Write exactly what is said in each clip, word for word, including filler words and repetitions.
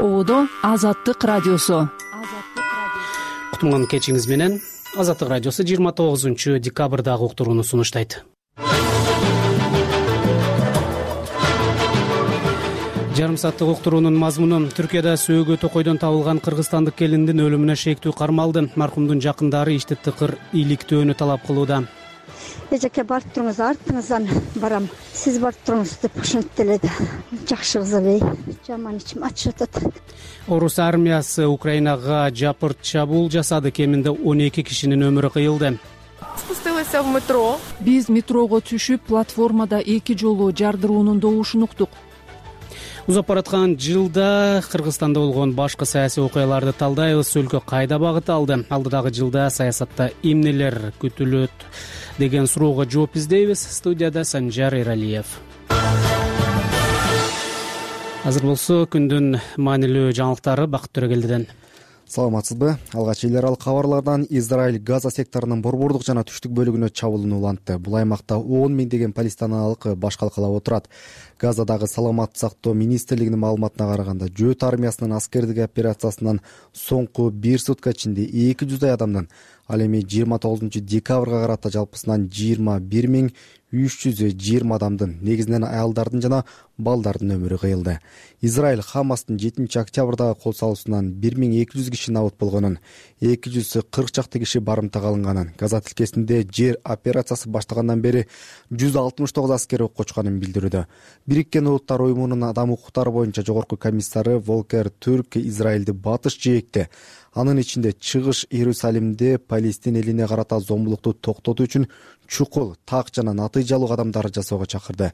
Оодо Азаттык радиосу. Кутман кечиңиз менен. Азаттык радиосу жыйырма тогузунчу декабрдагы уктурууну сунуштайт. Жарым сааттык уктуруунун мазмуну: Түркияда сөөгү токойдон табылган кыргызстандык келиндин өлүмүнө шектүү кармалды. Маркумдун жакындары ишти тыкыр иликтөөнү талап кылууда. Эжеке барып туруңуз, артыңыздан барам. Сиз барып туруңуз деп ушинтип эле жакшы кыз эле. Жаман ичим ачып атат. Орус армиясы Украинага жапырт чабуул жасады. Кеминде он эки кишинин өмүрү кыйылды. Спустилася в метро. Биз метрого түшүп, платформада эки жолу жардыруунун добушун уктук. Узап бараткан жылда Кыргызстанда болгон башкы саясий окуяларды талдайбыз. Өлкө кайда багыт алды? Алдыдагы жылда саясатта эмнелер күтүлөт деген суроого жооп издейбиз. Студияда Санжар Эралиев. Азыр болсо күндүн маанилүү жаңылыктары Бакыт Төрөгелдиден. Саламатсызбы? Алгач эл аралык кабарлардан Израиль Газа секторунун борбордук жана түштүк бөлүгүнө чабуулууну улантты. Бул аймакта он миңдеген палестиналык баш калкалап отурат. Газадагы саламаттык сактоо министрлигинин маалыматына караганда, жөөт армиясынын аскердик операциясынан соңку бир сутка ичинде эки жүздөй адамдын, ал эми жыйырма тогузунчу декабрга карата жалпысынан жыйырма бир миң үч жүз жыйырма адамдын, негизинен аялдардын жана балдардын өмүрү кыйылды. Израиль Хамастын жетинчи октябрдагы кол салуусунан бир миң эки жүз киши набыт болгонун, эки жүз кырк чакты киши барымтага алынганын, Газа тилкесинде жер операциясы баштагандан бери жүз алтымыш тогуз аскер ок очканын билдирүүдө. Бириккен Улуттар уюмунун адам укуктары боюнча жогорку комиссары Волкер Түрк Израилди батыш жээкте, анын ичинде чыгыш Иерусалимде Палестин элине карата зомбулукту токтотуу үчүн чукул, так жана натыйжалуу кадамдар жасоого чакырды.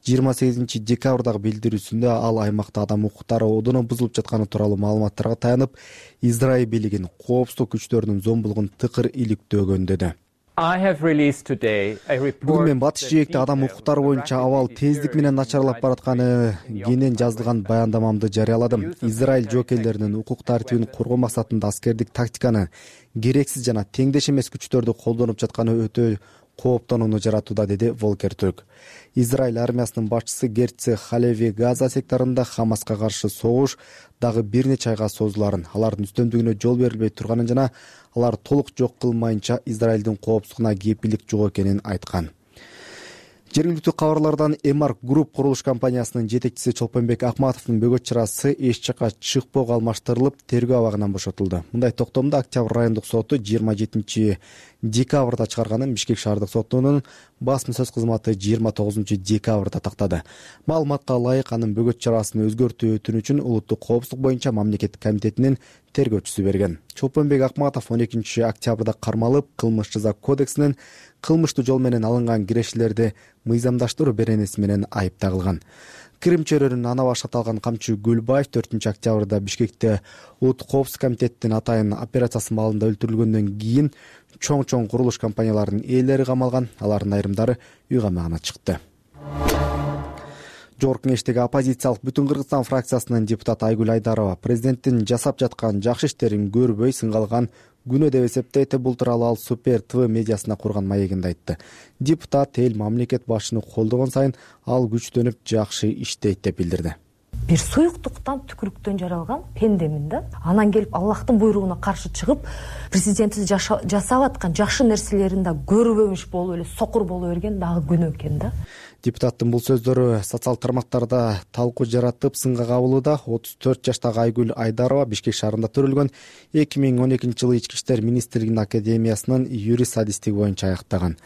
жыйырма сегизинчи декабрдагы билдирүүсүндө ал аймакта адам укуктары одоно бузулуп жатканы тууралуу маалыматтарга таянып, Израиль бийлигин коопсуздук күчтөрүнүн зомбулугун тыкыр иликтөөгөн деди. Бүгүн мен батыш жээкте адам укуктары боюнча абал тездик менен начарлап баратканы кенен жазылган баяндамамды жарыяладым. Израиль жоокейлеринин укук тартибин коргоо максатында аскердик тактиканы, керексиз жана теңдеш эмес күчтөрдү колдонуп жатканы өтө кооптонууну жаратууда, деди Волкер Түрк. Израиль армиясынын башчысы Герци Халеви Газа секторунда Хамаска каршы согуш дагы бир нече айга созуларын, алардын үстөмдүгүнө жол берилбей турганын жана алар толук жок кылмайынча Израилдин коопсуздугуна кепилдик жок экенин айткан. Жергиликтүү кабарлардан Эмарк Групп курулуш компаниясынын жетекчиси Чолпонбек Акматовдун бөгөт чарасы эч жакка чыкпоого алмаштырылып, тергөө абагынан бошотулду. Мындай токтомду Октябрь райондук соту жыйырма жетинчи декабрда чыгарганын Бишкек шаардык сотунун басма сөз кызматы жыйырма тогузунчу декабрда тактады. Маалыматка ылайык, анын бөгөт чарасын өзгөртүү өтүнүчүн Улуттук коопсуздук боюнча мамлекеттик комитетинин тергөөчүсү берген. Чолпонбек Акматов он экинчи октябрда кармалып, кылмыш жаза кодексинин кылмыштуу жол менен алынган кирешелерди мыйзамдаштыруу беренеси менен айыпталган. Крим чөйрөнүн ана башы аталган Камчы Гүлбаев төртүнчү октябрда Бишкекте Улуттук коопсуздук комитеттин атайын операциясы маалында өлтүрүлгөндөн кийин чоң-чоң курулуш компанияларынын ээлери камалган, алардын айрымдары үй камагына чыкты. Жогорку Кеңештеги оппозициялык Бүтүн Кыргызстан фракциясынын депутаты Айгүл Айдарова президенттин жасап жаткан жакшы иштерин көрбөй сынгалган күнөө деп эсептейт. Бул тууралуу ал Супер ТВ медиасына курган маегинде айтты. Депутат эл мамлекет башчыны колдогон сайын ал күчтөнүп жакшы иштейт деп билдирди. Бир суюктуктан, түкүрүктөн жаралган пендемин да. Анан келип Аллахтын буйругуна каршы чыгып, президентибиз жасап аткан жакшы нерселерин да көрбөмүш болуп эле сокур боло берген дагы күнөө экен да. Депутаттын бул сөздөрү социалдык тармактарда талкуу жаратып, сынга кабылууда. отуз төрт жаштагы Айгүл Айдарова Бишкек шаарында төрөлгөн эки миң он экинчи жылы Ички иштер министрлигинин академиясынын юрист адистиги боюнча аяктаган.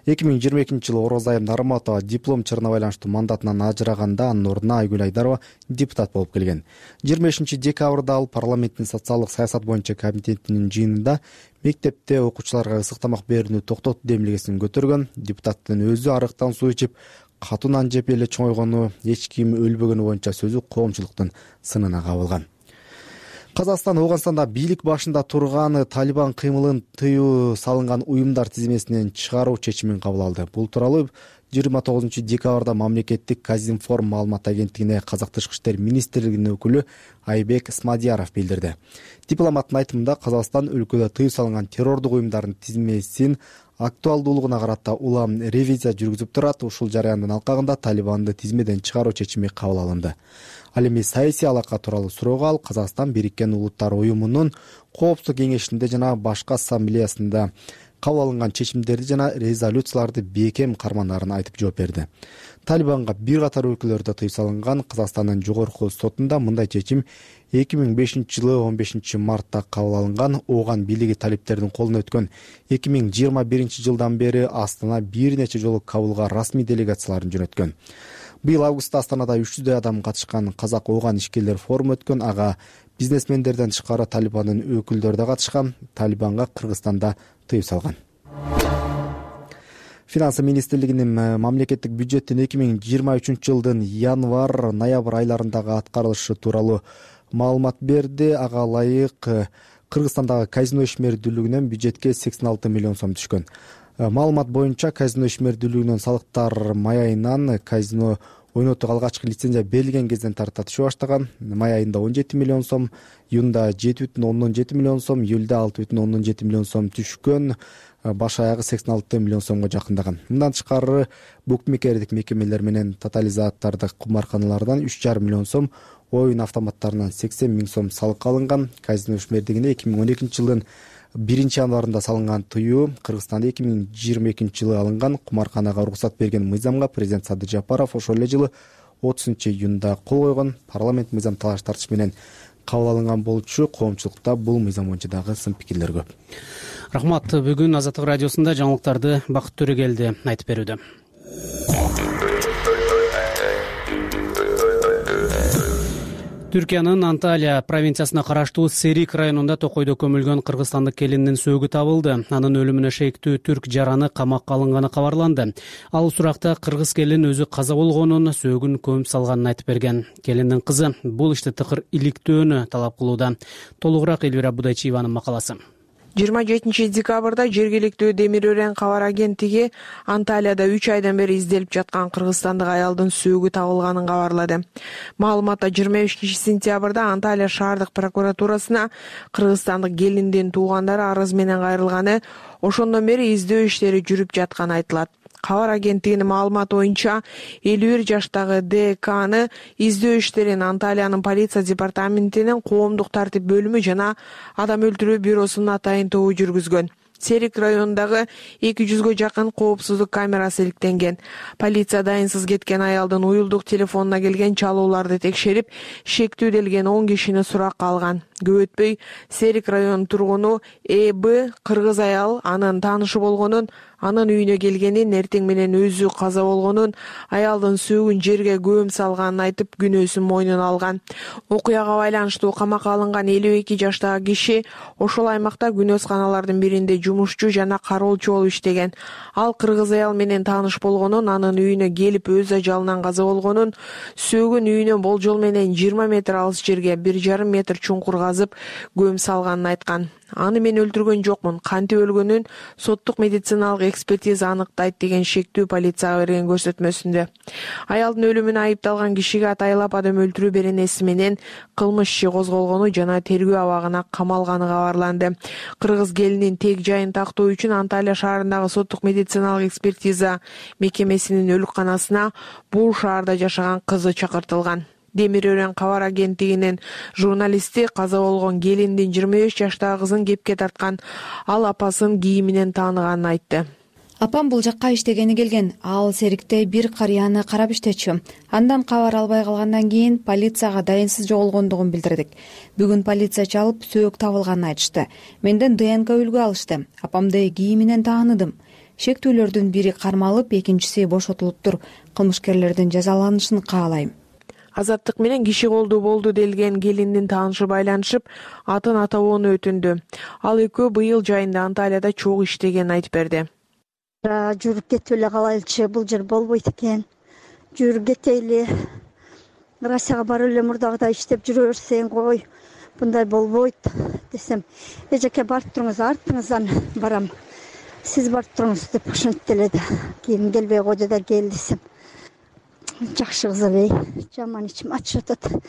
эки миң жыйырма экинчи жылы Орозайым Нарматова диплом чырына байланыштуу мандатынан ажыраганда, анын ордуна Айгүл Айдарова депутат болуп келген. жыйырма бешинчи декабрда ал парламенттин социалдык саясат боюнча комитетинин жыйынында мектепте окуучуларга ысык тамак берүүнү токтотуу демилгесин көтөргөн. Депутаттын өзү арыктан суу ичип, катуу нан жеп эле чоңойгону, эч ким өлбөгөнү боюнча сөзү коомчулуктун сынына кабылган. Казакстан Ооганстанда бийлик башында турган Талибан кыймылын тыюу салынган уюмдар тизмесинен чыгаруу чечимин кабыл алды. Бул тууралуу жыйырма тогузунчу декабрда мамлекеттик Казинформ маалымат агенттигине Казак тышкы иштер министрлигинин өкүлү Айбек Смадияров билдирди. Дипломаттын айтымында Казакстан өлкөдө тыюу салынган террордук уюмдардын тизмесин актуалдуулугуна карата улам ревизия жүргүзүп турат. Ушул жараяндын алкагында Талибанды тизмеден чыгаруу чечими кабыл алынды. Ал эми саясий алака тууралуу суроого ал Казакстан Бириккен Улуттар уюмунун Коопсуздук кеңешинде жана башкы ассамблеясында кабыл алынган чечимдерди жана резолюцияларды бекем карманаарын айтып жооп берди. Талибанга бир катар өлкөлөрдө тыюу салынган. Казакстандын жогорку сотунда мындай чечим эки миң бешинчи жылы он бешинчи мартта кабыл алынган. Ооган бийлиги талиптердин колуна өткөн эки миң жыйырма биринчи жылдан бери Астана бир нече жолу Кабылга расмий делегацияларын жөнөткөн. Быйыл августта Астанада үч жүздөй адам катышкан Казак Ооган ишкерлер форуму өткөн. Ага бизнесмендерден тышкары Талибандын өкүлдөрү да катышкан. Талибанга Кыргызстанда тыюу салган. Финансы министрлигинин мамлекеттик бюджеттин эки миң жыйырма үчүнчү жылдын январь ноябрь айларындагы аткарылышы тууралуу маалымат берди. Ага ылайык Кыргызстандагы казино ишмердүүлүгүнөн бюджетке сексен алты миллион сом түшкөн. Маалымат боюнча казино ишмердүүлүгүнөн салыктар май айынан казино ойнотууга алгачкы лицензия берилген кезден тарта түшө баштаган. Май айында он жети миллион сом, июнда жети бүтүн ондон жети миллион сом, июлда алты бүтүн ондон жети миллион сом түшкөн. Баш аягы сексен алты миллион сомго жакындаган. Мындан тышкары букмекердик мекемелер менен тотализатордук кумарканалардан үч жарым миллион сом, оюн автоматтарынан сексен миң сом салык алынган. Казино ишмердигине эки миң он экинчи жылдын биринчи январында салынган тыюу Кыргызстанда эки миң жыйырма экинчи жылы алынган. Кумарканага уруксат берген мыйзамга президент Садыр Жапаров ошол эле жылы отузунчу июнда кол койгон. Парламент мыйзам талаш тартыш менен кабыл алынган болчу. Коомчулукта бул мыйзам боюнча дагы сын пикирлер көп. Рахмат. Бүгүн Азаттык радиосунда жаңылыктарды Бакыт Төрөгелди айтып берүүдө. Түркиянын Анталия провинциясына караштуу Серик районунда токойдо көмүлгөн кыргызстандык келиндин сөөгү табылды. Анын өлүмүнө шектүү түрк жараны камакка алынганы кабарланды. Ал суракта кыргыз келин өзү каза болгонун, сөөгүн көмүп салганын айтып берген. Келиндин кызы бул ишти тыкыр иликтөөнү талап кылууда. Толугураак Элвира Будайчиеванын макаласы. жыйырма жетинчи декабрда жергиликтүү Демир Өрен кабар агенттиги Анталияда үч айдан бери изделип жаткан кыргызстандык аялдын сөөгү табылганын кабарлады. Маалыматта жыйырма бешинчи сентябрда Анталия шаардык прокуратурасына кыргызстандык келиндин туугандары арыз менен кайрылганы, ошондон бери издөө иштери жүрүп жатканы айтылат. Кабар агенттигинин маалыматы боюнча элүү бир жаштагы Д Кны издөө иштерин Анталиянын полиция департаментинин коомдук тартип бөлүмү жана адам өлтүрүү бюросунун атайын тобу жүргүзгөн. Серик районундагы эки жүзгө жакын коопсуздук камерасы иликтенген. Полиция дайынсыз кеткен аялдын уюлдук телефонуна келген чалууларды текшерип, шектүү делген он кишини суракка алган. Көп өтпөй Серик районунун тургуну Э Б кыргыз аял анын таанышы болгонун, анын үйүнө келгенин, эртең менен өзү каза болгонун, аялдын сөөгүн жерге көм салганын айтып, күнөөсүн мойнуна алган. Окуяга байланыштуу камакка алынган элүү эки жаштагы киши ошол аймакта күнөөсканалардын биринде жумушчу жана кароолчу болуп иштеген. Ал кыргыз аял менен тааныш болгонун, анын үйүнө келип өз ажалынан каза болгонун, сөөгүн үйүнөн болжол менен жыйырма метр алыс жерге бир жарым метр чуңкур казып көм салганын айткан. Аны мен өлтүргөн жокмун, кантип өлгөнүн соттук медициналык экспертиза аныктайт деген шектүү полицияга берген көрсөтмөсүндө. Аялдын өлүмүнө айыпталган кишиге атайлап адам өлтүрүү беренеси менен кылмыш иши козголгону жана тергөө абагына камалганы кабарланды. Кыргыз келинин тег жайын тактоо үчүн Анталия шаарындагы соттук медициналык экспертиза мекемесинин өлүкканасына бул шаарда жашаган кызы чакыртылган. Демир Өрен кабар агенттигинин журналисти каза болгон келиндин жыйырма беш жаштагы кызын кепке тарткан. Ал апасын кийиминен тааныганын айтты. Апам бул жакка иштегени келген. Ал Серикте бир карыяны карап иштечү. Андан кабар албай калгандан кийин полицияга дайынсыз жоголгондугун билдирдик. Бүгүн полиция чалып сөөк табылганын айтышты. Менден Д Н К үлгү алышты. Апамды кийиминен тааныдым. Шектүүлөрдүн бири кармалып, экинчиси бошотулуптур. Кылмышкерлердин жазаланышын каалайм. Азаттык менен киши колдуу болду делген келиндин таанышы байланышып, атын атабоону өтүндү. Ал экөө быйыл жайында Анталияда чогуу иштегенин айтып берди. Жүрүп кетип эле калайлычы, бул жер болбойт экен. Жүрүп кетейли. Россияга барып эле мурдагыдай иштеп жүрө берсең кой. Мындай болбойт десем, эжеке барып туруңуз, артыңыздан барам. сиз барып туруңуз деп ошентип эле кийин келбей койду да кел десем жакшы кыз эле, жаман ичим ачып атат.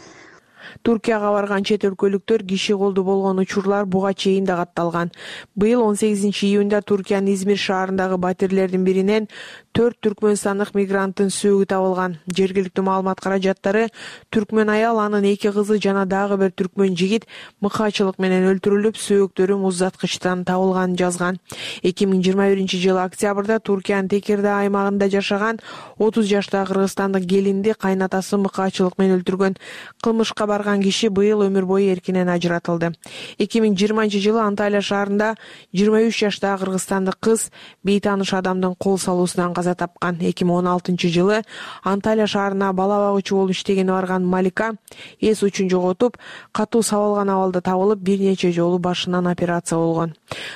Туркияга барган чет өлкөлүктөр киши колду болгон учурлар буга чейин да катталган. Быйыл он сегизинчи июнда Туркиянын Измир шаарындагы батирлердин биринен төрт түркмөнстандык мигранттын сөөгү табылган. Жергиликтүү маалымат каражаттары түркмөн аял, анын эки кызы жана дагы бир түркмөн жигит мыкаачылык менен өлтүрүлүп, сөөктөрү муздаткычтан табылганын жазган. эки миң жыйырма биринчи жылы октябрда Туркиянын Текирдаа аймагында жашаган отуз жаштагы кыргызстандык келинди кайнатасы мыкаачылык менен өлтүргөн. Кылмышка барган киши быйыл өмүр бою эркинен ажыратылды. эки миң жыйырманчы жылы Анталия шаарында жыйырма үч жаштагы кыргызстандык кыз бейтааныш адамдын кол салуусунан каза тапкан. эки миң он алтынчы жылы Анталия шаарына бала багуучу болуп иштегени барган Малика эс учун жоготуп, катуу сабалган абалда табылып, бир нече жолу башынан операция болгон.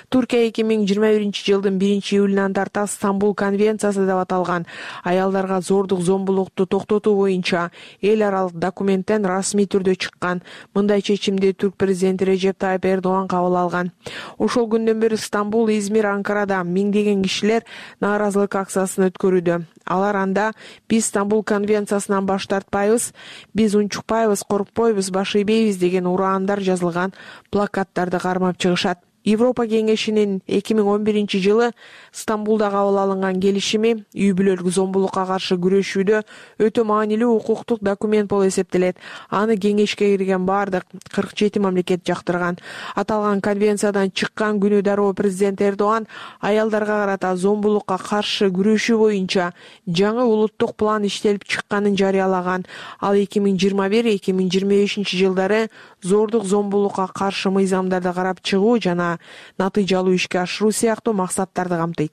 Туркия эки миң жыйырма биринчи жылдын биринчи июлунан тарта Стамбул конвенциясы деп аталган аялдарга зордук зомбулукту токтотуу боюнча эл аралык документтен расмий түрдө чыккан. Мындай чечимди түрк президенти Режеп Тайып Эрдоган кабыл алган. Ошол күндөн бери Стамбул, Измир, Анкарада миңдеген кишилер нааразылык акциясын өткөрүүдө. Алар анда биз Стамбул конвенциясынан баш тартпайбыз, биз унчукпайбыз, коркпойбуз, баш ийбейбиз деген ураандар жазылган плакаттарды кармап чыгышат. Европа кеңешинин эки миң он биринчи жылы Стамбулда кабыл алынган келишими үй бүлөлүк зомбулукка каршы күрөшүүдө өтө маанилүү укуктук документ болуп эсептелет. Аны кеңешке кирген бардык кырк жети мамлекет жактырган. Аталган конвенциядан чыккан күнү дароо президент Эрдоган аялдарга карата зомбулукка каршы күрөшүү боюнча жаңы улуттук план иштелип чыкканын жарыялаган. Ал эки миң жыйырма бир эки миң жыйырма бешинчи жылдары зордук зомбулукка каршы мыйзамдарды карап чыгуу жана натыйжалуу ишке ашыруу сыяктуу максаттарды камтыйт.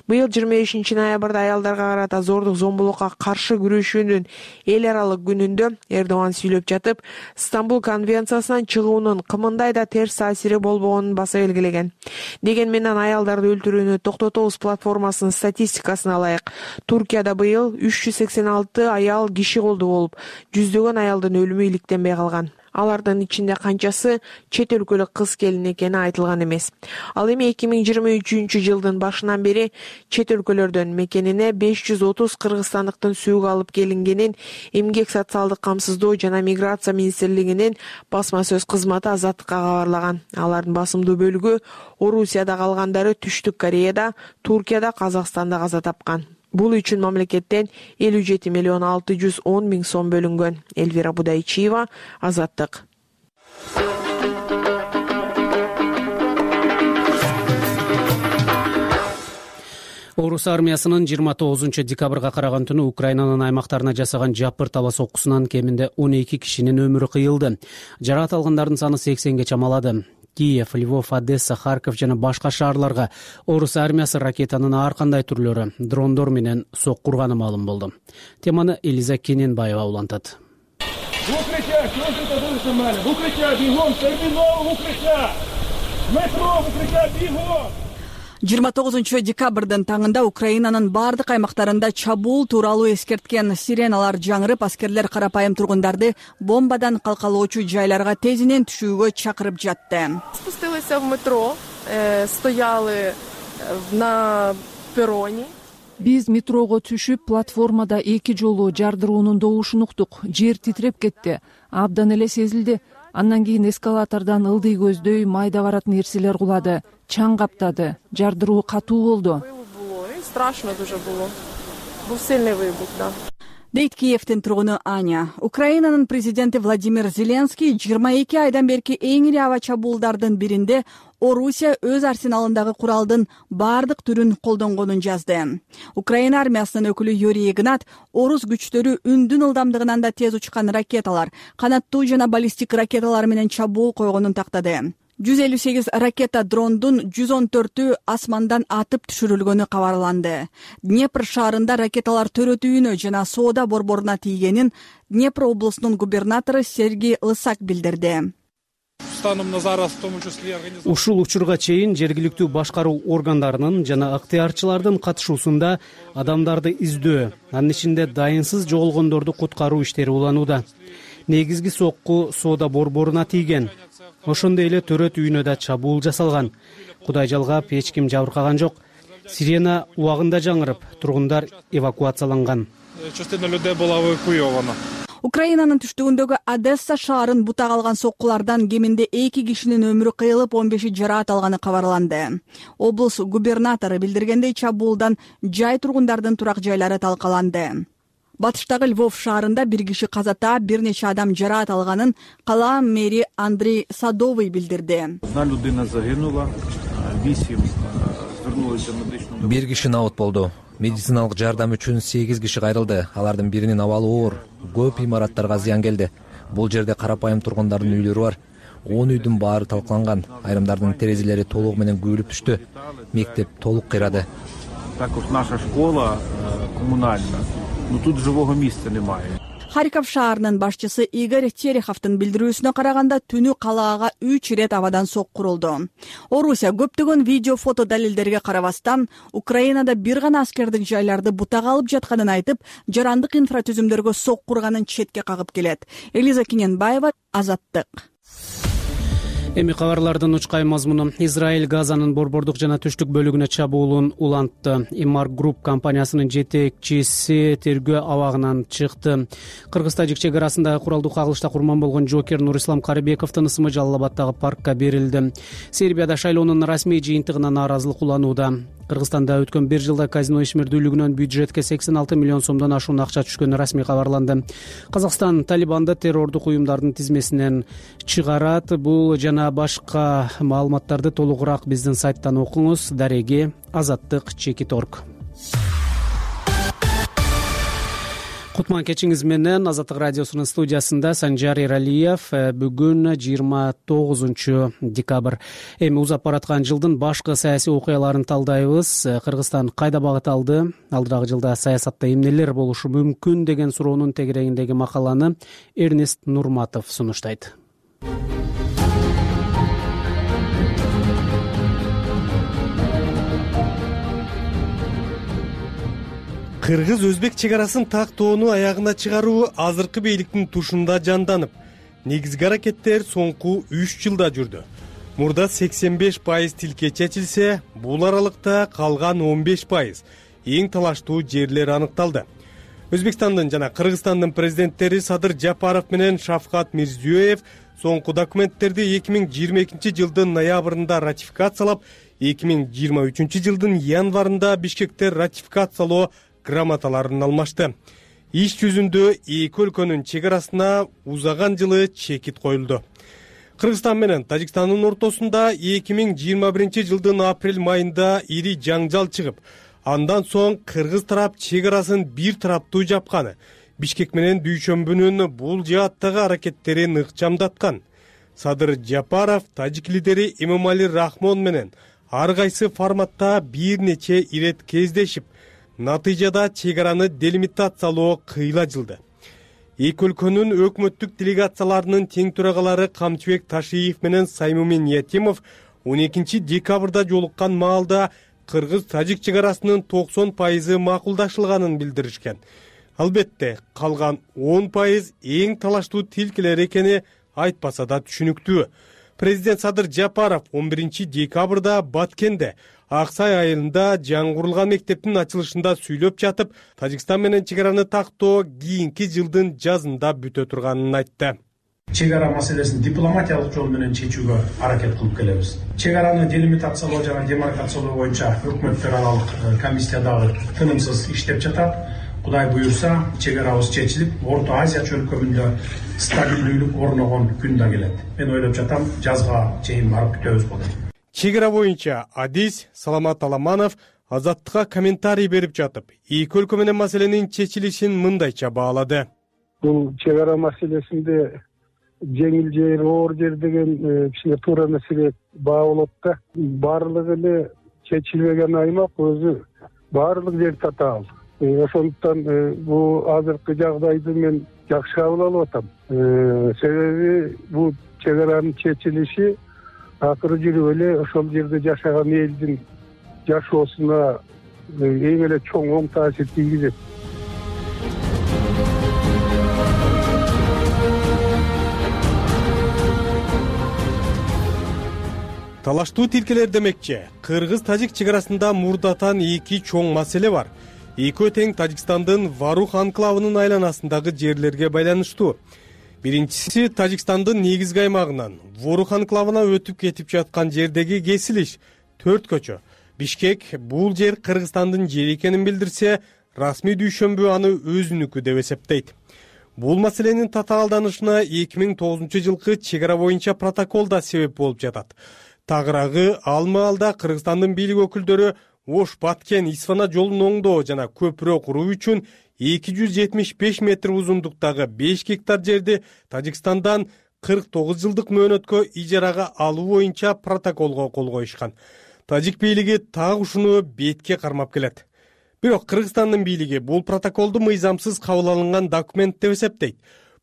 Быйыл жыйырма бешинчи ноябрда аялдарга карата зордук зомбулукка каршы күрөшүүнүн эл аралык күнүндө Эрдоган сүйлөп жатып, Стамбул конвенциясынан чыгуунун кымындай да терс таасири болбогонун баса белгилеген. Деген менен аялдарды өлтүрүүнү токтотобуз платформасынын статистикасына алайык. Туркияда быйыл үч жүз сексен алты аял киши колду болуп, жүздөгөн аялдын өлүмү иликтенбей калган. Алардын ичинде канчасы чет өлкөлүк кыз келин экени айтылган эмес. Ал эми эки миң жыйырма үчүнчү жылдын башынан бери чет өлкөлөрдөн мекенине беш жүз отуз кыргызстандыктын сөөгү алып келингенин Эмгек социалдык камсыздоо жана миграция министрлигинин басма сөз кызматы Азаттыкка кабарлаган. Алардын басымдуу бөлүгү Орусияда калгандары Түштүк Кореяда, Туркияда, Казакстанда каза тапкан. Бул үчүн мамлекеттен элүү жети миллион алты жүз он миң сом бөлүнгөн. Элвира Будайчиева, Азаттык. Орус армиясынын жыйырма тогузунчу декабрга караган түнү Украинанын аймактарына жасаган жапыр таба соккусунан кеминде он эки кишинин өмүрү кыйылды. Жаракат алгандардын саны сексенге чамалады. Киев, Львов, Одесса, Харьков жана башка шаарларга орус армиясы ракетанын ар кандай түрлөрү, дрондор менен соккурганы маалым болду. Теманы Элиза Кененбаева улантат. жыйырма тогузунчу декабрдын таңында Украинанын бардык аймактарында чабуул тууралуу эскерткен сиреналар жаңырып, аскерлер карапайым тургундарды бомбадан калкалоочу жайларга тезинен түшүүгө чакырып жатты. Спустилися в метро, стояли на перроне. Биз метрого түшүп, платформада эки жолу жардыруунун добушун уктук. Жер титиреп кетти. Абдан эле сезилди. Андан кийин эскалатордон ылдый көздөй майда баратын нерселер кулады. Чаң каптады. Жардыруу катуу болду. Страшно дуже было. Бул сильный выбух, да. Дейт Киевдин тургуну Аня. Украинанын президенти Владимир Зеленский жыйырма эки айдан берки эң ири аба чабуулдардын биринде Орусия өз арсеналындагы куралдын бардык түрүн колдонгонун жазды. Украина армиясынын өкүлү Юрий Игнат орус күчтөрү үндүн ылдамдыгынан да тез учкан ракеталар, канаттуу жана баллистик ракеталар менен чабуул койгонун тактады. жүз элүү сегиз ракета дрондун жүз он төртү асмандан атып түшүрүлгөнү кабарланды. Днепр шаарында ракеталар төрөтүүнө жана соода борборуна тийгенин Днепр облусунун губернатору Сергей Лысак билдирди. Ушул учурга чейин жергиликтүү башкаруу органдарынын жана ыктыярчылардын катышуусунда адамдарды издөө, анын ичинде дайынсыз жоголгондорду куткаруу иштери уланууда. Негизги сокку соода борборуна тийген. Ошондой эле төрөт үйүнө да чабуул жасалган. Кудай жалгап, эч ким жабыркаган жок. Сирена убагында жаңырып, тургундар эвакуацияланган. Частина людей була эвакуирована. Украинанын түштүгүндөгү Одесса шаарын бутак алган соккулардан кеминде эки кишинин өмүрү кыйылып, он беши жараат алганы кабарланды. Облус губернатору билдиргендей, чабуулдан жай тургундардын турак жайлары талкаланды. Батыштагы Львов шаарында бир киши каза таап, бир нече адам жараат алганын кала мэри Андрей Садовый билдирди. Одна людина загинула, вісім звернулися медичну. Бир киши набыт болду. Медициналык жардам үчүн сегиз киши кайрылды. Алардын биринин абалы оор. Көп имараттарга зыян келди. Бул жерде карапайым тургундардын үйлөрү бар. он үйдүн баары талкаланган. Айрымдардын терезелери толугу менен күйүлүп түштү. Мектеп толук кыйрады. Також наша школа коммунальна. Но тут живого місця немає. Харьков шаарынын башчысы Игорь Тереховдун билдирүүсүнө караганда, түнү калаага үч ирет абадан сокку урулду. Орусия көптөгөн видео, фото далилдерге карабастан, Украинада бир гана аскердик жайларды бутак алып жатканын айтып, жарандык инфратүзүмдөргө сокку урганын четке кагып келет. Элиза Киненбаева, Азаттык. Эми кабарлардын учкай мазмуну. Израиль Газанын борбордук жана түштүк бөлүгүнө чабуулун улантты. Имар Групп компаниясынын жетекчиси тергөө абагынан чыкты. Кыргыз-тажик чек арасындагы куралдуу кагылышта курман болгон жокер Нурислам Карыбековдун ысымы Жалал Абаддагы паркка берилди. Сербияда шайлоонун расмий жыйынтыгына нааразылык уланууда. Кыргызстанда өткөн бир жылда казино ишмердүүлүгүнөн бюджетке сексен алты миллион сомдон ашуун акча түшкөнү расмий кабарланды. Казакстан Талибанды террордук уюмдардын тизмесинен чыгарат. Бул жана башка маалыматтарды толугураак биздин сайттан окуңуз. Дареги Азаттык чекит точка орг. Кутман кечиңиз менен Азаттык радиосунун студиясында Санжар Эралиев. Бүгүн жыйырма тогузунчу декабрь. Эми узап бараткан жылдын башкы саясий окуяларын талдайбыз. Кыргызстан кайда багыт алды? Алдырагы жылда саясатта эмнелер болушу мүмкүн деген суроонун тегерегиндеги макаланы Эрнест Нурматов сунуштайт. Кыргыз-өзбек чек арасын тактоону аягына чыгаруу азыркы бийликтин тушунда жанданып, негизги аракеттер соңку үч жылда жүрдү. Мурда сексен беш пайыз тилке чечилсе, бул аралыкта калган он беш пайыз эң талаштуу жерлер аныкталды. Өзбекстандын жана Кыргызстандын президенттери Садыр Жапаров менен Шавкат Мирзиёев соңку документтерди эки миң жыйырма экинчи жылдын ноябрында ратификациялап, эки миң жыйырма үчүнчү жылдын январында Бишкекте ратификациялоо грамоталарын алмашты. Иш жүзүндө эки өлкөнүн чек арасына узаган жылы чекит коюлду. Кыргызстан менен Тажикстандын ортосунда эки миң жыйырма биринчи жылдын апрель майында ири жаңжал чыгып, андан соң кыргыз тарап чек арасын бир тараптуу жапканы, Бишкек менен Дүйшөмбүнүн бул жааттагы аракеттерин ыкчамдаткан. Садыр Жапаров тажик лидери Эмомали Рахмон менен ар кайсы форматта бир нече ирет кездешип, натыйжада чек араны делимитациялоо кыйла жылды. Эки өлкөнүн өкмөттүк делегацияларынын тең төрагалары Камчыбек Ташиев менен Саймумин Ятимов он экинчи декабрда жолуккан маалда кыргыз-тажик чек арасынын токсон пайызы макулдашылганын билдиришкен. Албетте, калган он пайыз эң талаштуу тилкелер экени айтпаса да түшүнүктүү. Президент Садыр Жапаров он биринчи декабрда Баткенде Аксай айылында жаңгырылган мектептин ачылышында сүйлөп жатып, Тажикстан менен чек араны тактоо кийинки жылдын жазында бүтө турганын айтты. Чек ара маселесин дипломатиялык жол менен чечүүгө аракет кылып келебиз. Чек араны делимитациялоо жана демаркациялоо боюнча өкмөттөр аралык комиссия дагы тынымсыз иштеп жатат. Кудай буюрса, чек арабыз чечилип, Орто Азия чөлкөмүндө стабилдүүлүк орногон күн да келет. Мен ойлоп жатам, жазга чейин барып күтөбүз болот. Чек ара боюнча Адис Саламат Аламанов Азаттыкка комментарий берип жатып, эки өлкө менен маселенин чечилишин мындайча баалады. Бул чек ара маселесинде жеңил жер, оор жер деген кичине туура маселе баа болот да. Баардыгы эле чечилбеген аймак өзү баардык жер татаал. Ошондуктан бул азыркы жагдайды мен жакшы кабыл алып атам. Себеби бул чек аранын чечилиши акыры жүрүп эле ошол жерде жашаган элдин жашоосуна эң эле чоң оң таасир тийгизет. талаштуу тилкелер демекчи, кыргыз-тажик чек арасында мурдатан эки чоң маселе бар. Экөө тең Тажикстандын Варух анклавынын айланасындагы жерлерге байланыштуу. Биринчиси Тажикстандын негизги аймагынан Ворух анклавына өтүп кетип жаткан жердеги кесилиш, төрт көчө. Бишкек бул жер Кыргызстандын жери экенин билдирсе, расмий дүйшөмбү аны өзүнүкү деп эсептейт. Бул маселенин татаалданышына эки миң тогузунчу жылкы чек ара боюнча протокол да себеп болуп жатат. Тагыраагы ал маалда Кыргызстандын бийлик өкүлдөрү Ош Баткен Исфана жолун оңдоо жана көпүрө куруу үчүн эки жүз жетимиш беш метр узундуктагы беш гектар жерди Тажикстандан кырк тогуз жылдык мөөнөткө ижарага алуу боюнча протоколго кол коюшкан. Тажик бийлиги так ушуну бетке кармап келет. Бирок Кыргызстандын бийлиги бул протоколду мыйзамсыз кабыл алынган документ деп эсептейт.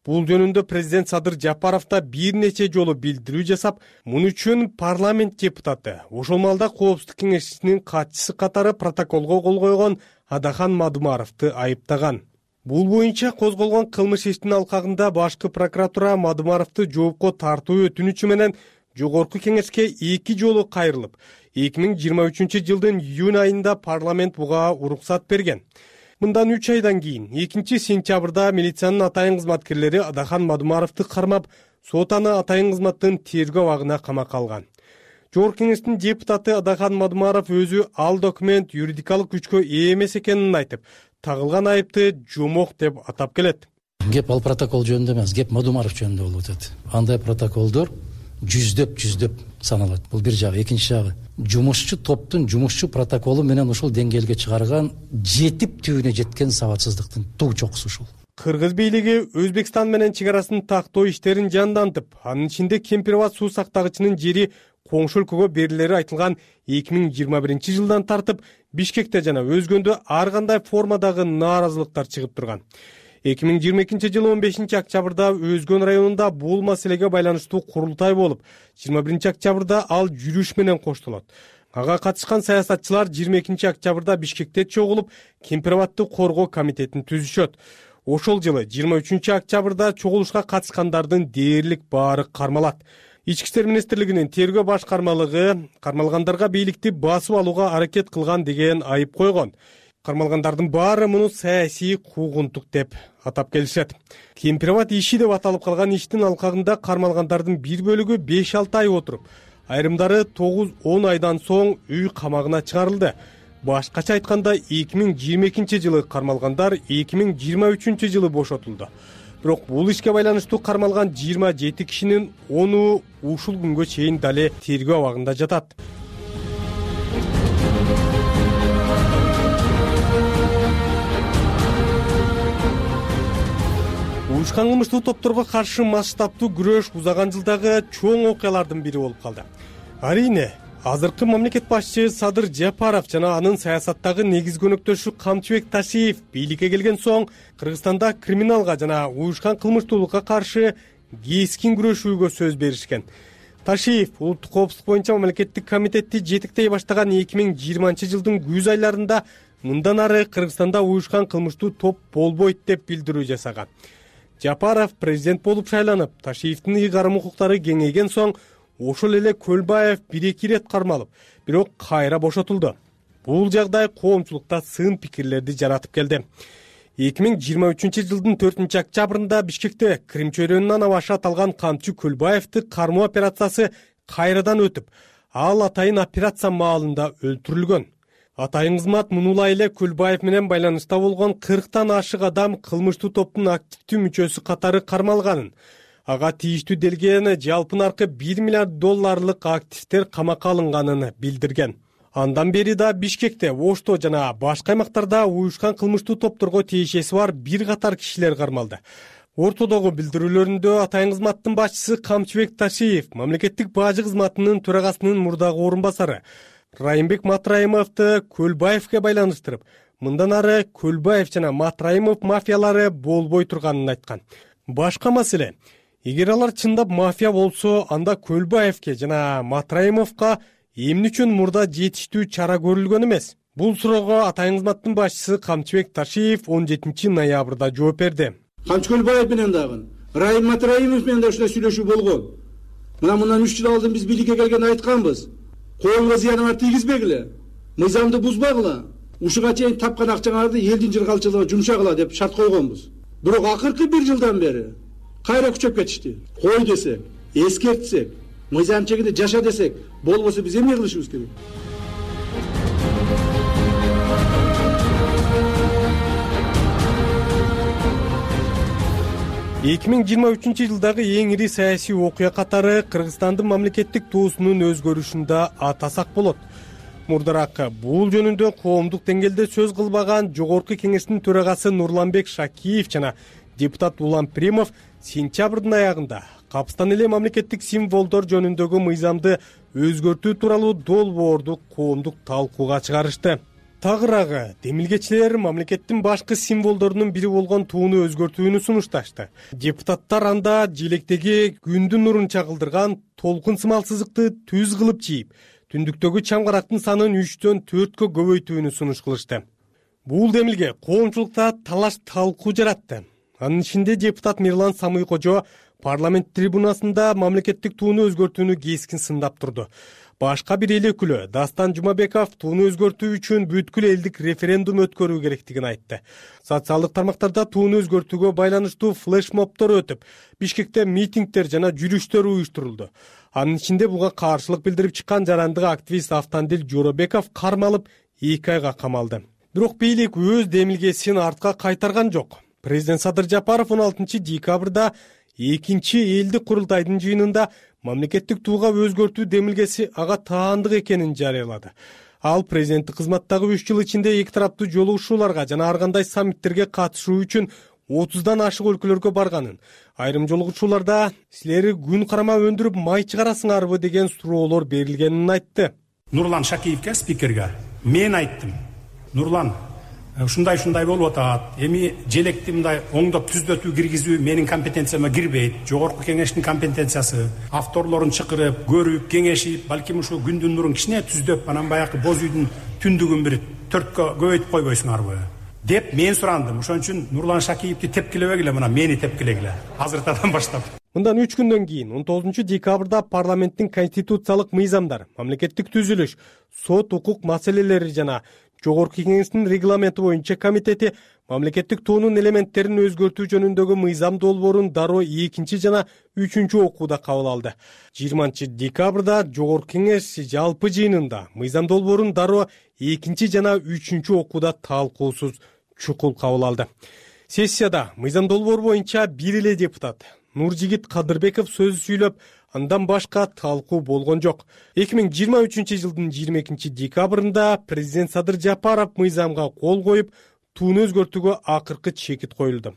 Бул жөнүндө президент Садыр Жапаров да бир нече жолу билдирүү жасап, муну үчүн парламент депутаты, ошол маалда Коопсуздук кеңешчисинин катчысы катары протоколго кол койгон Адахан Мадумаровду айыптаган. Бул боюнча козголгон кылмыш иштин алкагында башкы прокуратура Мадумаровду жоопко тартуу өтүнүчү менен жогорку кеңешке эки жолу кайрылып, эки миң жыйырма үчүнчү жылдын июнь айында парламент буга уруксат берген. Мындан үч айдан кийин экинчи сентябрда милициянын атайын кызматкерлери Адахан Мадумаровду кармап, сот аны атайын кызматтын тергөө абагына камакка алган. Жогорку кеңештин депутаты Адахан Мадумаров өзү ал документ юридикалык күчкө ээ эмес экенин айтып, тагылган айыпты жомок деп атап келет. Кеп ал протокол жөнүндө эмес, кеп Мадумаров жөнүндө болуп атат. Андай протоколдор жүздөп жүздөп саналат. Бул бир жагы. Экинчи жагы, жумушчу топтун жумушчу протоколу менен ушул деңгээлге чыгарган жетип түбүнө жеткен сабатсыздыктын туу чокусу ушул. Кыргыз бийлиги Өзбекстан менен чек арасын тактоо иштерин жандантып, анын ичинде Кемпирбат суу сактагычынын жери коңшу өлкөгө берилери айтылган эки миң жыйырма биринчи жылдан тартып Бишкекте жана өзгөндө ар кандай формадагы нааразылыктар чыгып турган. эки миң жыйырма экинчи жылы он бешинчи октябрда Өзгөн районунда бул маселеге байланыштуу курултай болуп, жыйырма биринчи октябрда ал жүрүш менен коштолот. Ага катышкан саясатчылар жыйырма экинчи октябрда Бишкекте чогулуп, Кемпирбатты коргоо комитетин түзүшөт. Ошол жылы жыйырма үчүнчү октябрда чогулушка катышкандардын дээрлик баары кармалат. Ички иштер министрлигинин тергөө башкармалыгы кармалгандарга бийликти басып алууга аракет кылган деген айып койгон. Кармалгандардын баары муну саясий куугунтук деп атап келишет. Кемпирбат иши деп аталып калган иштин алкагында кармалгандардын бир бөлүгү беш алты ай отуруп, айрымдары тогуз он айдан соң үй камагына чыгарылды. Башкача айтканда эки миң жыйырма экинчи жылы кармалгандар эки миң жыйырма үчүнчү жылы бошотулду. Бирок бул ишке байланыштуу кармалган жыйырма жети кишинин ону ушул күнгө чейин дале тергөө абагында жатат. Уюшкан кылмыштуу топторго каршы масштабтуу күрөш узаган жылдагы чоң окуялардын бири болуп калды. Арийне, азыркы мамлекет башчы Садыр Жапаров жана анын саясаттагы негизги өнөктөшү Камчыбек Ташиев бийликке келген соң Кыргызстанда криминалга жана уюшкан кылмыштуулукка каршы кескин күрөшүүгө сөз беришкен. Ташиев улуттук коопсуздук боюнча мамлекеттик комитетти жетектей баштаган эки миң жыйырманчы жылдын күз айларында мындан ары Кыргызстанда уюшкан кылмыштуу топ болбойт деп билдирүү жасаган. Жапаров президент болуп шайланып, Ташиевдин ыйгарым укуктары кеңейген соң ошол эле Көлбаев бир-эки ирет кармалып, бирок кайра бошотулду. Бул жагдай коомчулукта сын пикирлерди жаратып келди. эки миң жыйырма үчүнчү жылдын төртүнчү октябрында Бишкекте Крим чөйрөнүнөн аваша аталган камчы Көлбаевди кармоо операциясы кайрадан өтүп, ал атайын операция маалында өлтүрүлгөн. Атайын кызмат мунулай эле Көлбаев менен байланышта болгон кырктан ашык адам кылмыштуу топтун активдүү мүчөсү катары кармалганын, ага тийиштүү делген жалпынаркы бир миллиард долларлык активдер камакка алынганын билдирген. Андан бери да Бишкекте, Ошто жана башка аймактарда уюшкан кылмыштуу топторго тиешеси бар бир катар кишилер кармалды. Ортодогу билдирүүлөрүндө атайын кызматтын башчысы Камчыбек Ташиев, мамлекеттик бажы кызматынын төрагасынын мурдагы орун басары Райымбек Матраимовду Көлбаевге байланыштырып, мындан ары Көлбаев жана Матраимов мафиялары болбой турганын айткан. Башка маселе, эгер алар чындап мафия болсо, анда Көлбаевге жана Матраимовго эмне үчүн мурда жетиштүү чара көрүлгөн эмес? Бул суроого атайын кызматтын башчысы Камчыбек Ташиев он жетинчи ноябрда жооп берди. Камчы Көлбаев менен дагы, Райым Матраимов менен да ушундай сүйлөшүү болгон. Мына мындан үч жыл алдын биз бийликке келгенде айтканбыз. Коомго зыяныңар тийгизбегиле, мыйзамды бузбагыла, ушуга чейин тапкан акчаңарды элдин жыргалчылыгына жумшагыла деп шарт койгонбуз. Бирок акыркы бир жылдан бери кайра күчөп кетишти. Кой десек, эскертсек, мыйзам чегинде жаша десек, болбосо биз эмне кылышыбыз керек? эки миң жыйырма үчүнчү жылдагы эң ири саясий окуя катары Кыргызстандын мамлекеттик туусунун өзгөрүшүндө атасак болот. Мурдараак бул жөнүндө коомдук деңгээлде сөз кылбаган Жогорку Кеңештин төрагасы Нурланбек Шакиев жана депутат Улан Пиримов сентябрдын аягында капыстан эле мамлекеттик символдор жөнүндөгү мыйзамды өзгөртүү тууралуу долбоорду коомдук талкууга чыгарышты. Тагыраагы демилгечилер мамлекеттин башкы символдорунун бири болгон тууну өзгөртүүнү сунушташты. Депутаттар анда желектеги күндүн нурун чагылдырган толкун сымал сызыкты түз кылып чийип, түндүктөгү чамгарактын санын үчтөн төрткө көбөйтүүнү сунуш кылышты. Бул демилге коомчулукта талаш талкуу жаратты. Анын ичинде депутат Мирлан Самый-Кожо парламент трибунасында мамлекеттик тууну өзгөртүүнү кескин сындап турду. Башка бир эл өкүлү Дастан Жумабеков тууну өзгөртүү үчүн бүткүл элдик референдум өткөрүү керектигин айтты. Социалдык тармактарда тууну өзгөртүүгө байланыштуу флешмобдор өтүп, Бишкекте митингдер жана жүрүштөр уюштурулду. Анын ичинде буга каршылык билдирип чыккан жарандык активист Автандил Жоробеков кармалып эки айга камалды. Бирок бийлик өз демилгесин артка кайтарган жок. Президент Садыр Жапаров он алтынчы декабрда экинчи элдик курултайдын жыйынында мамлекеттик тууга өзгөртүү демилгеси ага таандык экенин жарыялады. Ал президенттик кызматтагы үч жыл ичинде эки тараптуу жолугушууларга жана ар кандай саммиттерге катышуу үчүн отуздан ашык өлкөлөргө барганын, айрым жолугушууларда силер күн карама өндүрүп май чыгарасыңарбы деген суроолор берилгенин айтты. Нурлан Шакиевке, спикерге мен айттым. Нурлан, ушундай ушундай болуп атат. Эми желекти мындай оңдоп түздөтүү киргизүү менин компетенцияма кирбейт. Жогорку Кеңештин компетенциясы. Авторлорун чакырып, көрүп, кеңешип, балким ушу күндүн нурун кичине түздөп, анан баягы боз үйдүн түндүгүн бир төрткө көбөйтүп койбойсуңарбы деп мен сурандым. Ошон үчүн Нурлан Шакиевди тепкилебегиле, мына мени тепкилегиле. Азыртадан баштап. Мындан үч күндөн кийин он тогузунчу декабрда парламенттин конституциялык мыйзамдар, мамлекеттик түзүлүш, сот укук маселелери жана Жогорку Кеңештин регламенти боюнча комитети мамлекеттик туунун элементтерин өзгөртүү жөнүндөгү мыйзам долбоорун дароо экинчи жана үчүнчү окууда кабыл алды. жыйырманчы декабрда Жогорку Кеңеш жалпы жыйынында мыйзам долбоорун дароо экинчи жана үчүнчү окууда талкуусуз чукул кабыл алды. Сессияда мыйзам долбоор боюнча бир эле депутат Нуржигит Кадырбеков сөз сүйлөп, андан башка талкуу болгон жок. эки миң жыйырма үчүнчү жылдын жыйырма экинчи декабрында президент Садыр Жапаров мыйзамга кол коюп, тууну өзгөртүүгө акыркы чекит коюлду.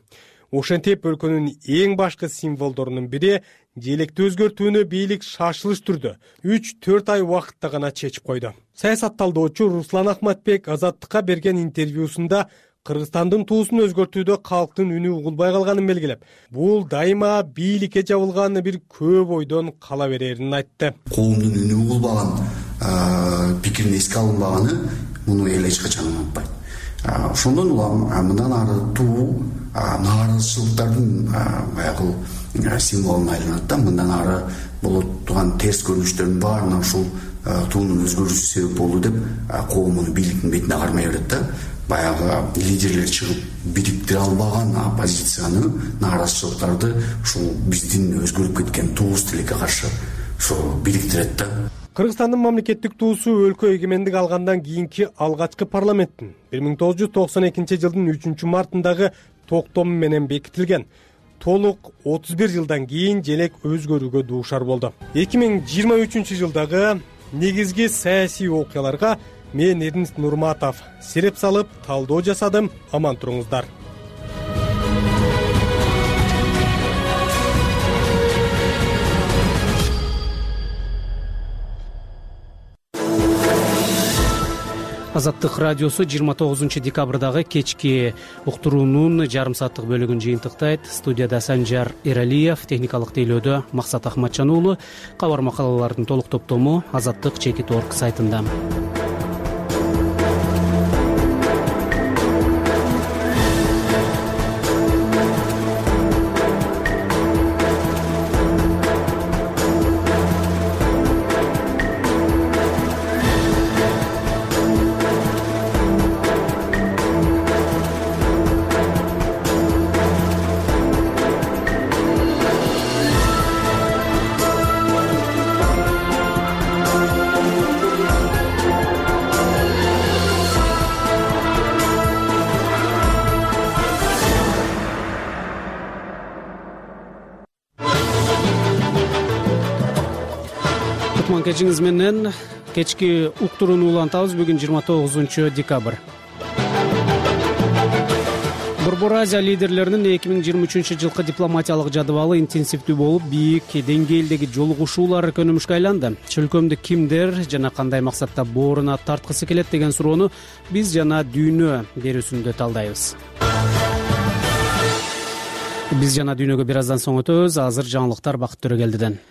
Ошентип өлкөнүн эң башкы символдорунун бири желекти өзгөртүүнү бийлик шашылыш түрдө үч төрт ай убакытта гана чечип койду. Саясат талдоочу Руслан Ахматбек Азаттыкка берген интервьюсунда Кыргызстандын туусун өзгөртүүдө калктын үнү угулбай калганын белгилеп, бул дайыма бийликке жабылган бир көп ойдон кала берерин айтты. Коомдун үнү угулбаган, пикирин эске алынбаганы муну эл эч качан унутпайт. Ошондон улам мындан ары туу нааразычылыктардын баягы символуна айланат да, мындан ары болот турган терс көрүнүштөрдүн баарына ушул туунун өзгөрүүсү себеп болду деп коом муну бийликтин бетине кармай берет да. Баягы лидерлер чыгып бириктире албаган оппозицияны, нааразычылыктарды ушул биздин өзгөрүп кеткен туубуз тилекке каршы ошо бириктирет да. Кыргызстандын мамлекеттик туусу өлкө эгемендик алгандан кийинки алгачкы парламенттин бир миң тогуз жүз токсон экинчи жылдын үчүнчү мартындагы токтому менен бекитилген. Толук отуз бир жылдан кийин желек өзгөрүүгө дуушар болду. эки миң жыйырма үчүнчү жылдагы негизги саясий окуяларга мен Эрнест Нурматов сиреп салып талдоо жасадым. Аман туруңуздар. Азаттык радиосу жыйырма тогузунчу декабрдагы кечки уктуруунун жарым сааттык бөлүгүн жыйынтыктайт. Студияда Санжар Эралиев, техникалык тейлөөдө Максат Ахматжан уулу. Кабар макалалардын толук топтому азаттык чекит точка орг сайтында. кутман кечиңиз менен кечки уктурууну улантабыз. Бүгүн жыйырма тогузунчу декабрь. Борбор Азия лидерлеринин эки миң жыйырма үчүнчү жылкы дипломатиялык жадыбалы интенсивдүү болуп, бийик деңгээлдеги жолугушуулар көнүмүшкө айланды. Чөлкөмдү кимдер жана кандай максатта бооруна тарткысы келет деген суроону биз жана дүйнө берүүсүндө талдайбыз. Биз жана дүйнөгө бир аздан соң өтөбүз. Азыр жаңылыктар Бакыт Төрөгелдиден.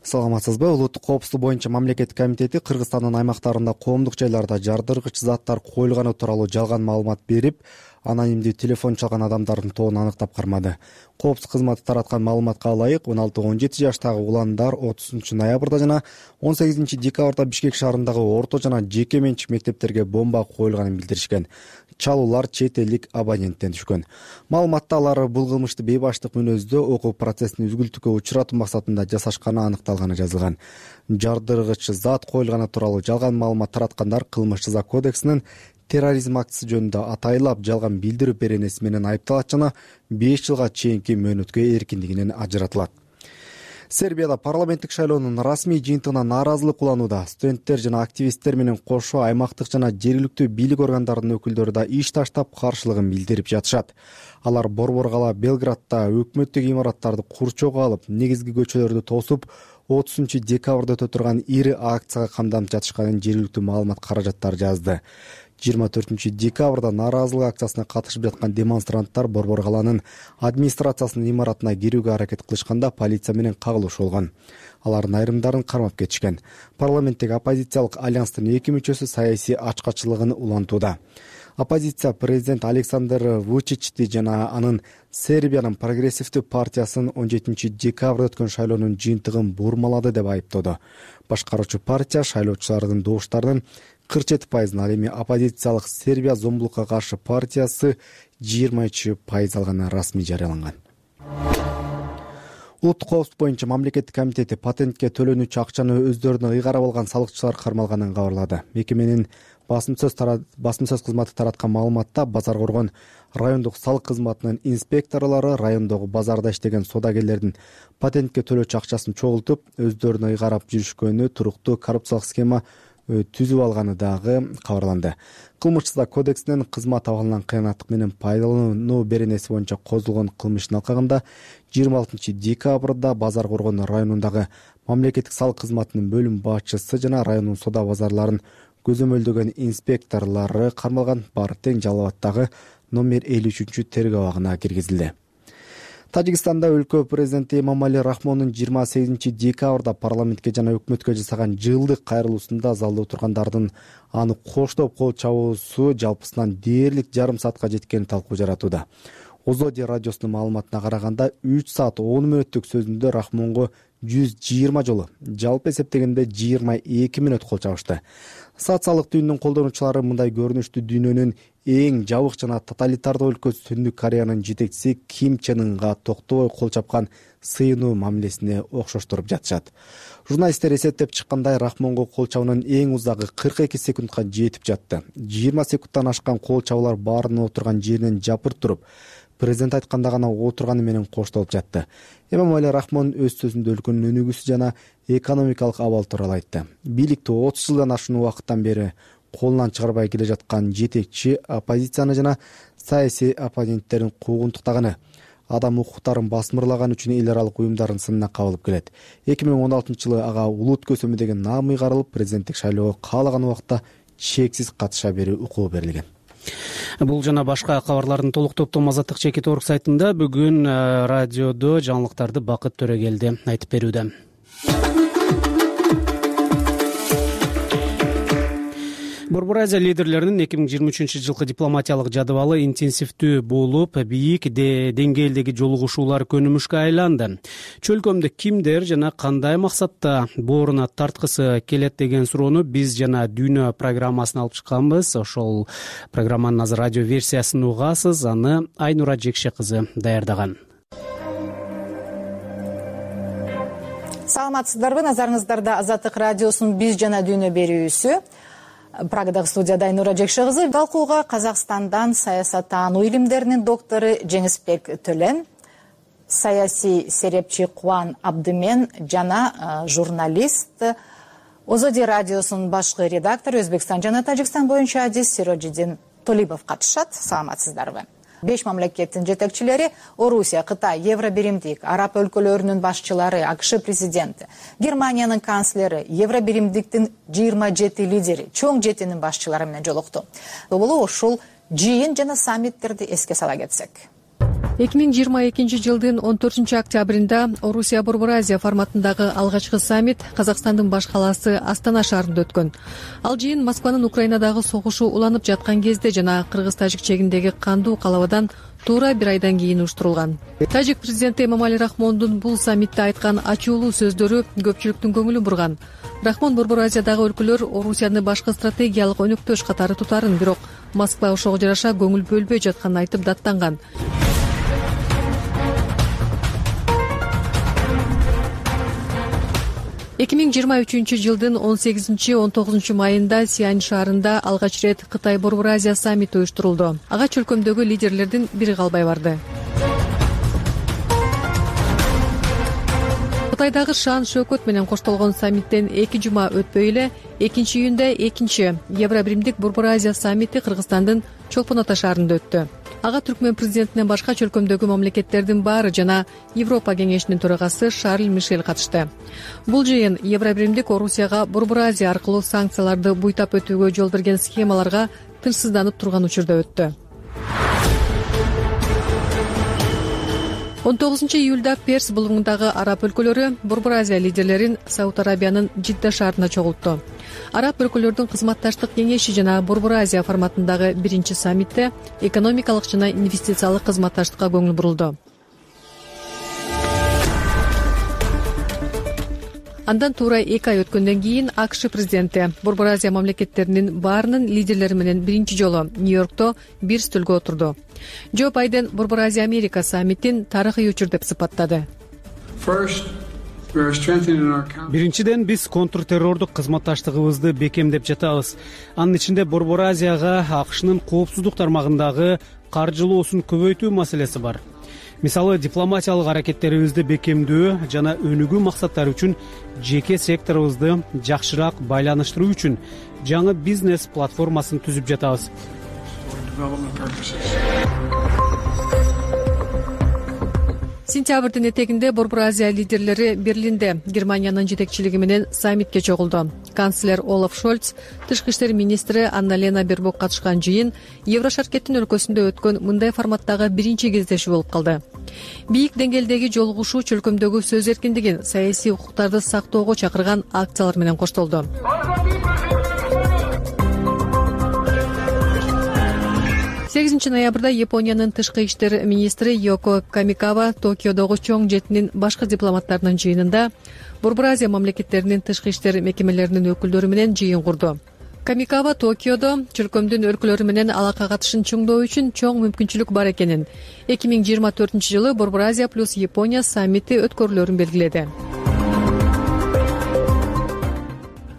Саламатсызбы? Улуттук коопсуздук боюнча мамлекеттик комитети Кыргызстандын аймактарында коомдук жайларда жардыргыч заттар коюлганы тууралуу жалган маалымат берип, анонимдүү телефон чалган адамдардын тобун аныктап кармады. Коопсуздук кызматы тараткан маалыматка ылайык, он алты он жети жаштагы уландар отузунчу ноябрда жана он сегизинчи декабрда Бишкек шаарындагы орто жана жеке менчик мектептерге бомба коюлганын билдиришкен. Чалуулар чет элдик абоненттен түшкөн. Маалыматта алар бул кылмышты бейбаштык мүнөздө окуу процессин үзгүлтүккө учуратуу максатында жасашканы аныкталганы жазылган. Жардыргыч зат коюлганы тууралуу жалган маалымат тараткандар кылмыш жаза кодексинин терроризм актысы жөнүндө атайлап жалган билдирүү беренеси менен айыпталат жана беш жылга чейинки мөөнөткө эркиндигинен ажыратылат. Сербияда парламенттик шайлоонун расмий жыйынтыгына нааразылык уланууда. Студенттер жана активисттер менен кошо аймактык жана жергиликтүү бийлик органдарынын өкүлдөрү да иш таштап каршылыгын билдирип жатышат. Алар борбор кала Белградда өкмөттүк имараттарды курчоого алып, негизги көчөлөрдү тосуп, отузунчу декабрда өтө турган ири акцияга камданып жатышканын жергиликтүү маалымат каражаттары жазды. жыйырма төртүнчү декабрда нааразылык акциясына катышып жаткан демонстранттар борбор каланын администрациясынын имаратына кирүүгө аракет кылышканда полиция менен кагылыш болгон. Алардын айрымдарын кармап кетишкен. Парламенттеги оппозициялык альянстын эки мүчөсү саясий ачкачылыгын улантууда. Оппозиция президент Александр Вучичти жана анын Сербиянын прогрессивдүү партиясын он жетинчи декабрда өткөн шайлоонун жыйынтыгын бурмалады деп айыптоду. Башкаруучу партия шайлоочулардын добуштарынын кырк жети пайызын, ал эми оппозициялык Сербия зомбулукка каршы партиясы жыйырма үч пайыз алганы расмий жарыяланган. Улуттук коопсуздук боюнча мамлекеттик комитети патентке төлөнүүчү акчаны өздөрүнө ыйгарып алган салыкчылар кармалганын кабарлады. Мекеменин басым сөз басым сөз кызматы тараткан маалыматта Базар Коргон райондук салык кызматынын инспекторлору райондогу базарда иштеген содагерлердин патентке төлөөчү акчасын чогултуп, өздөрүнө ыйгарап жүрүшкөнү туруктуу коррупциялык схема түзүп алганы дагы кабарланды. Кылмыш жаза кодексинин кызмат абалынан кыянаттык менен пайдалануу беренеси боюнча козулгон кылмыштын алкагында жыйырма алтынчы декабрда Базар Коргон районундагы мамлекеттик салык кызматынын бөлүм башчысы жана райондун соода базарларын көзөмөлдөгөн инспекторлору кармалган. Бар тең Жалал-Абаддагы номер элүү үчүнчү тергөө абагына киргизилди. Тажикстанда өлкө президенти Эмомали Рахмондун жыйырма сегизинчи декабрда парламентке жана өкмөткө жасаган жылдык кайрылуусунда залда отургандардын аны коштоп кол чабуусу жалпысынан дээрлик жарым саатка жеткени талкуу жаратууда. Озоди радиосунун маалыматына караганда үч саат он мүнөттүк сөзүндө Рахмонго жүз жыйырма жолу, жалпы эсептегенде жыйырма эки мүнөт кол чабышты. Социалдык түйүнүнүн колдонуучулары мындай көрүнүштү дүйнөнүн эң жабык жана тоталитардык өлкөсү Түндүк Кореянын жетекчиси Ким Чен Ынга токтобой кол чапкан сыйынуу мамилесине окшоштуруп жатышат. Журналисттер эсептеп чыккандай, Рахмонго кол чабуунун эң узагы кырк эки секундка жетип жатты. жыйырма секундтан ашкан кол чабуулар баарынын отурган жеринен жапырт туруп, президент айтканда гана отурганы менен коштолуп жатты. Эмомали Рахмон өз сөзүндө өлкөнүн өнүгүүсү жана экономикалык абал тууралуу айтты. Бийликти отуз жылдан ашуун убакыттан бери колунан чыгарбай келе жаткан жетекчи оппозицияны жана саясий оппоненттерин куугунтуктаганы, адам укуктарын басмырлаган үчүн эл аралык уюмдардын сынына кабылып келет. эки миң он алтынчы жылы ага улут көсөмү деген наам ыйгарылып, президенттик шайлоого каалаган убакта чексиз катыша берүү укугу берилген. Бул жана башка кабарлардын толук топтому Азаттык чекит орг сайтында бүгүн радиодо жаңылыктарды Бакыт Төрөгелди айтып берүүдө. Борбор Азия лидерлеринин эки миң жыйырма үчүнчү жылкы дипломатиялык жадыбалы интенсивдүү болуп, бийик деңгээлдеги жолугушуулар көнүмүшкө айланды. Чөлкөмдө кимдер жана кандай максатта бооруна тарткысы келет деген суроону биз жана дүйнө программасына алып чыкканбыз. Ошол программанын азыр радио версиясын угасыз. Аны Айнура Жекше кызы даярдаган. Саламатсыздарбы? Назарыңыздарда Азаттык радиосунун биз жана дүйнө берүүсү. Прагадагы студияда Айнура Жекше кызы. Талкууга Казакстандан саясаттануу илимдеринин доктору Жеңисбек Төлен, саясий серепчи Кубан Абдымен жана журналист озоди радиосунун башкы редактору Өзбекстан жана Тажикстан боюнча адис Сирожидин Толибов катышат. Саламатсыздарбы? Беш мамлекеттин жетекчилери Орусия, Кытай, Евробиримдик, араб өлкөлөрүнүн башчылары, АКШ президенти, Германиянын канцлери, Евробиримдиктин жыйырма жети лидери, чоң жетинин башчылары менен жолукту. Боло ушул жыйын жана саммиттерди эске сала кетсек. эки миң жыйырма экинчи жылдын он төртүнчү октябрында Орусия Борбор Азия форматындагы алгачкы саммит Казакстандын баш калаасы Астана шаарында өткөн. Ал жыйын Москванын Украинадагы согушу уланып жаткан кезде жана кыргыз-тажик чегиндеги кандуу калабадан туура бир айдан кийин уюштурулган. Тажик президенти Эмомали Рахмондун бул саммитте айткан ачуулуу сөздөрү көпчүлүктүн көңүлүн бурган. Рахмон Борбор Азиядагы өлкөлөр Орусияны башкы стратегиялык өнөктөш катары тутарын, бирок Москва ошого жараша көңүл бөлбөй жатканын айтып даттанган. эки миң жыйырма үчүнчү жылдын он сегизинчи он тогузунчу майында Сиань шаарында алгач ирет Кытай Борбор Азия саммити уюштурулду. Ага чөлкөмдөгү лидерлердин бири калбай барды. Кытайдагы шаан шөкөт менен коштолгон саммиттен эки жума өтпөй эле экинчи июнда экинчи Евробиримдик Борбор Азия саммити Кыргызстандын Чолпон Ата шаарында өттү. Ага Түркмен президентинен башка чөлкөмдөгү мамлекеттердин баары жана Европа кеңешинин төрагасы Шарль Мишель катышты. Бул жыйын Евробиримдик Орусияга Борбор Азия аркылуу санкцияларды буйтап өтүүгө жол берген схемаларга тынчсызданып турган учурда өттү. он тогузунчу июлда Перс булуңундагы араб өлкөлөрү Борбор Азия лидерлерин Сауд Арабиянын Жидда шаарында чогултту. Араб өлкөлөрдүн кызматташтык кеңеши жана Борбор Азия форматындагы биринчи саммитте экономикалык жана инвестициялык кызматташтыкка көңүл бурулду. Андан туура эки ай өткөндөн кийин АКШ президенти Борбор Азия мамлекеттеринин баарынын лидерлери менен биринчи жолу Нью-Йоркто бир стөлгө отурду. Джо Байден Борбор Азия Америка саммитин тарыхый учур деп сыпаттады. Биринчиден, биз контртеррордук кызматташтыгыбызды бекемдеп жатабыз. Анын ичинде Борбор Азияга АКШнын коопсуздук тармагындагы каржылоосун көбөйтүү маселеси бар. Мисалы, дипломатиялык аракеттерибизди бекемдөө жана өнүгүү максаттары үчүн жеке секторубузду жакшыраак байланыштыруу үчүн жаңы бизнес платформасын түзүп жатабыз. Сентябрдын этегинде Борбор Азия лидерлери Берлинде Германиянын жетекчилиги менен саммитке чогулду. Канцлер Олаф Шольц, тышкы иштер министри Анна-Лена Бербок катышкан жыйын Еврошаркеттин өлкөсүндө өткөн мындай форматтагы биринчи кездешүү болуп калды. Бийик деңгээлдеги жолугушуу чөлкөмдөгү сөз эркиндигин, саясий укуктарды сактоого чакырган акциялар менен коштолду. сегизинчи ноябрда Япониянын тышкы иштер министри Йоко Камикава Токиодогу чоң жетинин башкы дипломаттарынын жыйынында Борбор Азия мамлекеттеринин тышкы иштер мекемелеринин өкүлдөрү менен жыйын курду. Камикава Токиодо чөлкөмдүн өлкөлөрү менен алака катышын чоңдоо үчүн чоң мүмкүнчүлүк бар экенин, эки миң жыйырма төртүнчү жылы Борбор Азия плюс Япония саммити өткөрүлөрүн белгиледи.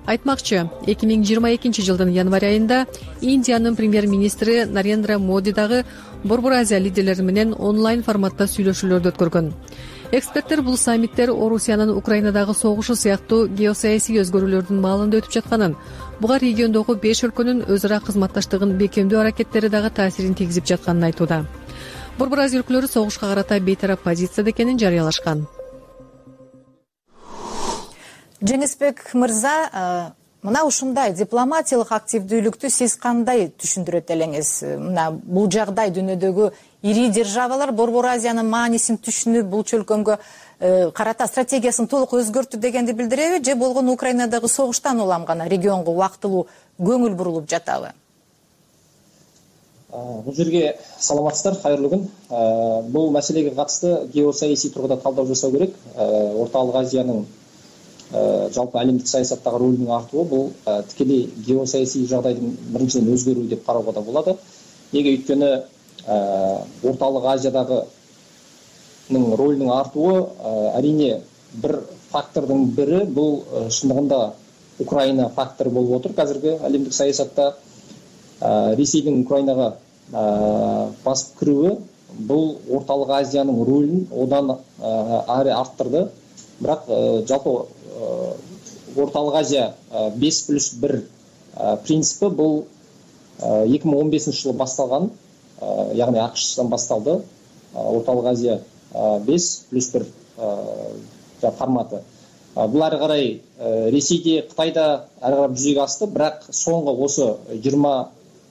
Айтмакчы, эки миң жыйырма экинчи жылдын январь айында Индиянын премьер-министри Нарендра Моди дагы Борбор Азия лидерлери менен онлайн форматта сүйлөшүүлөрдү өткөргөн. Эксперттер бул саммиттер Орусиянын Украинадагы согушу сыяктуу геосаясий өзгөрүүлөрдүн маалында өтүп жатканын, буга региондогу беш өлкөнүн өз ара кызматташтыгын бекемдөө аракеттери дагы таасирин тийгизип жатканын айтууда. Борбор Азия өлкөлөрү согушка карата бейтарап позицияда экенин жарыялашкан. Жеңисбек мырза, мына ушундай дипломатиялык активдүүлүктү сиз кандай түшүндүрөт элеңиз? Мына бул жагдай дүйнөдөгү ири державалар Борбор Азиянын маанисин түшүнүп, бул чөлкөмгө карата стратегиясын толук өзгөртү дегенди билдиреби, же болгону Украинадагы согуштан улам гана регионго убактылуу көңүл бурулуп жатабы? Бул жерге саламатсыздар, кайырлуу күн. Бул маселеге катысты геосаясий тургуда талдоо жасоо керек. Ортолук Азиянын жалпы әлемдик саясаттагы ролунун артуы бул тикелей геосаясий жагдайдын биринчиден өзгөрүү деп кароого да болот. Эге өйткөнү Ортолук Азиядагы ролунун артуы арине бир фактордун бири бул чындыгында Украина фактор болуп отур. Азыркы әлемдик саясатта Ресейдин Украинага басып кирүүгө бул Ортолук Азиянын ролун одан ары арттырды. Бирок жалпы орталык азия беш плюс бир принципи бул эки миң он бешинчи жылы башталган, яғни акштан басталды. Орталык азия беш плюс бир форматы. Бул ары карай Ресейде, Кытайда ары карай жүзөгө асты, бирок соңку осы жыйырма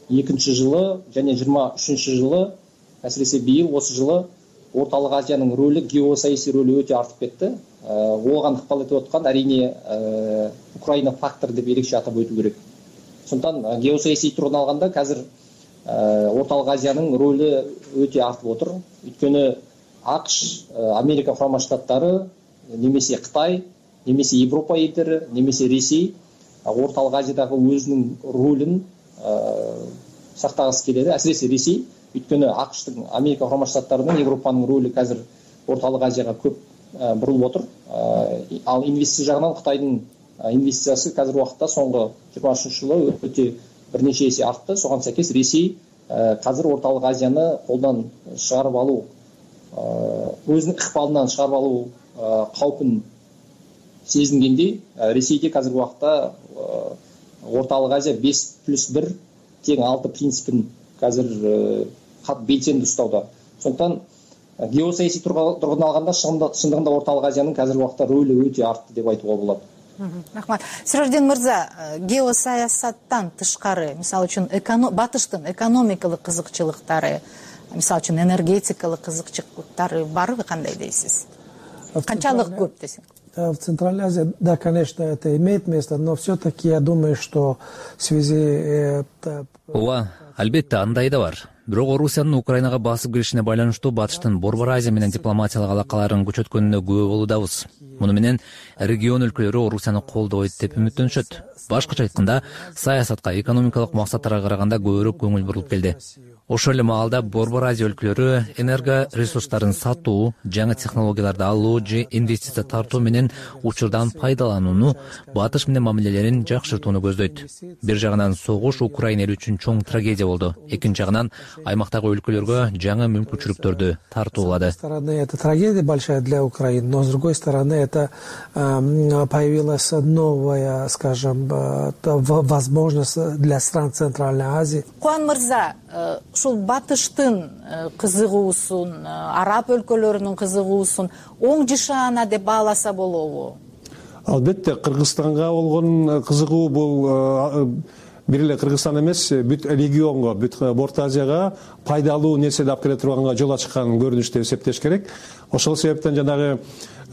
экинчи жылы және жыйырма үчүнчү жылы, әсіресе бийил осы жылы орталык азиянын рөлү, геосаясий рөлү өтө артып кетти. Оған ыкпал этип аткан әрине Украина фактор деп ерекше атап өтүү керек. Сондықтан геосаясий тургудан алганда қазір орталык азиянын рөлү өтө артып отыр. Өйткөнү АКШ, Америка Курама Штаттары, немесе Кытай, немесе Европа елдери, немесе Ресей орталык азиядагы өзүнүн рөлүн сактагысы келеді, әсіресе Ресей. Өйткөнү АКШтын, Америка Курама Штаттарынын, Европанын рөлү қазір орталык азияга көп бурулуп отур. Ал инвестиция жагынан Кытайдын инвестициясы қазір уақытта соңғы жыйырма үчүнчү жылы өтө бир нече эсе артты. Соған сәйкес Ресей қазір орталык азияны колдон чыгарып алуу, өзүнүн ыкпалынан чыгарып алуу каупин сезингендей, Ресейде қазір уақытта орталык азия беш плюс бир тең алты принципин қазір кат белсенди ұстауда. Сондықтан геосаясий тұрғыдан алғанда шындығында орталык азиянын қазір уақытта рөлі өте артты деп айтуға болады. Рахмат. Сиражидин мырза, геосаясаттан тышкары, мисалы үчүн батыштын экономикалык кызыкчылыктары, мисалы үчүн энергетикалык кызыкчылыктары барбы, кандай дейсиз? Канчалык көп десең? В Центральной Азии, да, конечно, это имеет место, но все-таки я думаю, что в связи... Ооба, албетте андай да бар. Бирок Орусиянын Украинага басып киришине байланыштуу батыштын Борбор Азия менен дипломатиялык алакаларын күчөткөнүнө күбө болуудабыз. Муну менен регион өлкөлөрү Орусияны колдойт деп үмүттөнүшөт. Башкача айтканда, саясатка, экономикалык максаттарга караганда көбүрөөк көңүл бурулуп келди. Ошол эле маалда Борбор Азия өлкөлөрү энерго ресурстарын сатуу, жаңы технологияларды алуу же инвестиция тартуу менен учурдан пайдаланууну, батыш менен мамилелерин жакшыртууну көздөйт. Бир жагынан согуш Украина эли үчүн чоң трагедия болду. Экинчи жагынан аймактагы өлкөлөргө жаңы мүмкүнчүлүктөрдү тартуулады. С одной стороны, это трагедия большая для Украины, но с другой стороны, это э, появилась новая, скажем, э, возможность для стран Центральной Азии. Куан мырза, ушул батыштын кызыгуусун, араб өлкөлөрүнүн кызыгуусун оң жышаана деп бааласа болобу? Албетте, Кыргызстанга болгон кызыгуу бул бир эле Кыргызстан эмес, бүт регионго, бүт Орто Азияга пайдалуу нерседи алып келе турганга жол ачкан көрүнүш деп эсептеш керек. Ошол себептен жанагы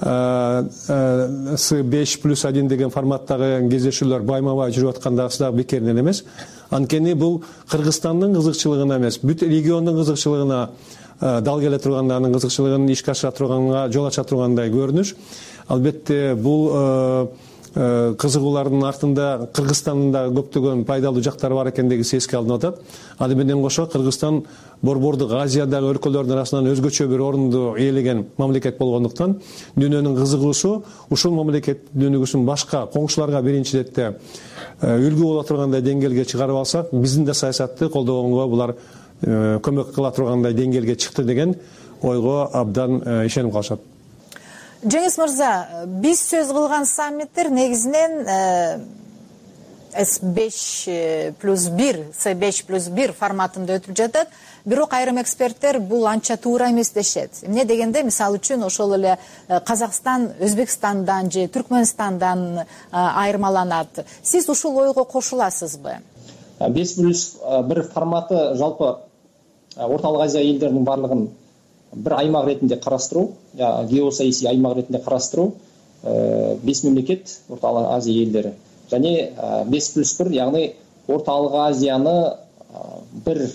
С беш плюс один деген форматтагы кездешүүлөр байма-бай жүрүп аткандагысы дагы бекеринен эмес. Анткени бул Кыргызстандын кызыкчылыгына эмес, бүт региондун кызыкчылыгына дал келе турган, анын кызыкчылыгын ишке ашыра турганга жол ача тургандай көрүнүш. Албетте бул кызыгуулардын артында Кыргызстандын да көптөгөн пайдалуу жактары бар экендиги эске алынып атат. Аны менен кошо Кыргызстан Борбордук Азиядагы өлкөлөрдүн арасынан өзгөчө бир орунду ээлеген мамлекет болгондуктан дүйнөнүн кызыгуусу ушул мамлекет дүйнөгүсүн башка коңшуларга биринчи четте үлгү боло тургандай деңгээлге чыгарып алсак, биздин да саясатты колдогонго булар көмөк кыла тургандай деңгээлге чыкты деген ойго абдан ишенип калышат. Жеңис мырза, биз сөз кылган саммиттер негизинен С беш плюс бир, С беш плюс бир форматында өтүп жатат. Бирок айрым эксперттер бул анча туура эмес дешет. Эмне дегенде, мисалы үчүн ошол эле Казакстан Өзбекстандан же Түркмөнстандан айырмаланат. Сиз ушул ойго кошуласызбы? беш плюс бир форматы жалпы Орталык Азия элдеринин барлыгын бір аймақ ретінде қарастыру, геосаясий аймақ ретінде қарастыру, бес мемлекет Орталық Азия елдері. Және беш плюс бір, яғни Орталық Азияны бір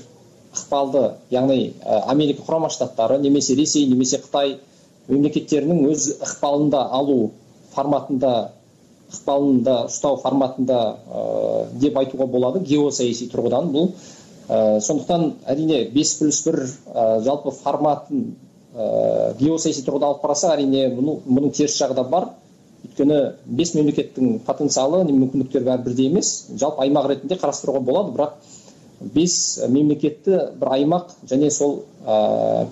ықпалды, яғни Америка Құрама Штаттары, немесе Ресей, немесе Қытай мемлекеттерінің өз ықпалында алу форматында, ықпалында ұстау форматында деп айтуға болады, геосаясий тұрғыдан бұл. Сондықтан әрине беш плюс бір жалпы форматын геосаясий тұрғыда алып қарасақ, әрине мұның теріс жағы да бар. Өйткені бес мемлекеттің потенциалы, мүмкіндіктері бәрі бірдей емес. Жалпы аймақ ретінде қарастыруға болады, бірақ бес мемлекетті бір аймақ және сол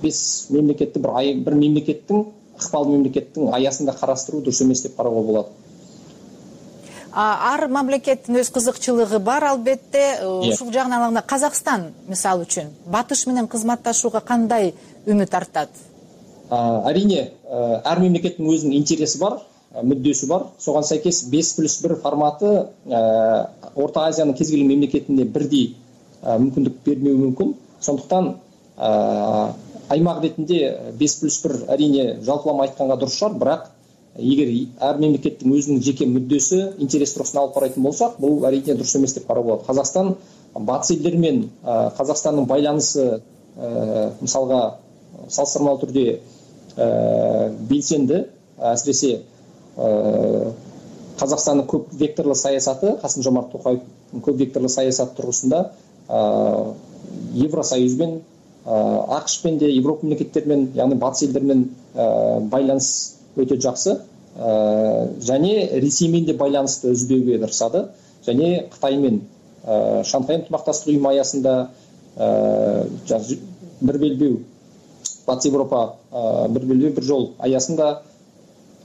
бес мемлекетті бір мемлекеттің, ықпал мемлекеттің аясында қарастыру дұрыс емес деп қарауға болады. ар мамлекеттин өз кызыкчылыгы бар албетте. Ушул жагынан алганда Казакстан мисалы үчүн Батыш менен кызматташууга кандай үмүт артат? Арине ар мемлекеттин өзүнүн интереси бар, мүддөсү бар. Согон сайкес беш плюс бир форматы Орто Азиянын кез келген мемлекетине бирдей мүмкүндүк бермеуи мүмкүн. Сондуктан аймак ретинде беш плюс бир арине жалпылама айтканга дурус шығар, бирок эгер ар мемлекеттин өзүнүн жеке мүддөсү, интерес турусунан алып карайтын болсак, бул арине дурус эмес деп карап болот. Казакстан батыс элдер менен Казакстандын байланышы мисалга салыштырмалуу түрдө белсенди, асиресе Казакстандын көп векторлуу саясаты, Касым-Жомарт Токаевдин көп векторлуу саясаты тургусунда Евросоюзбен, АКШпен де, Европа мемлекеттеримен, яғни батыс елдермен байланыс өтө жакшы. Және Ресеймен де байланысты үзбөөгө тырышады. Және Кытаймен Шанхай ынтымакташтык уюму аясында бир белбөө, Батыс Европа бир белбөө бир жол аясында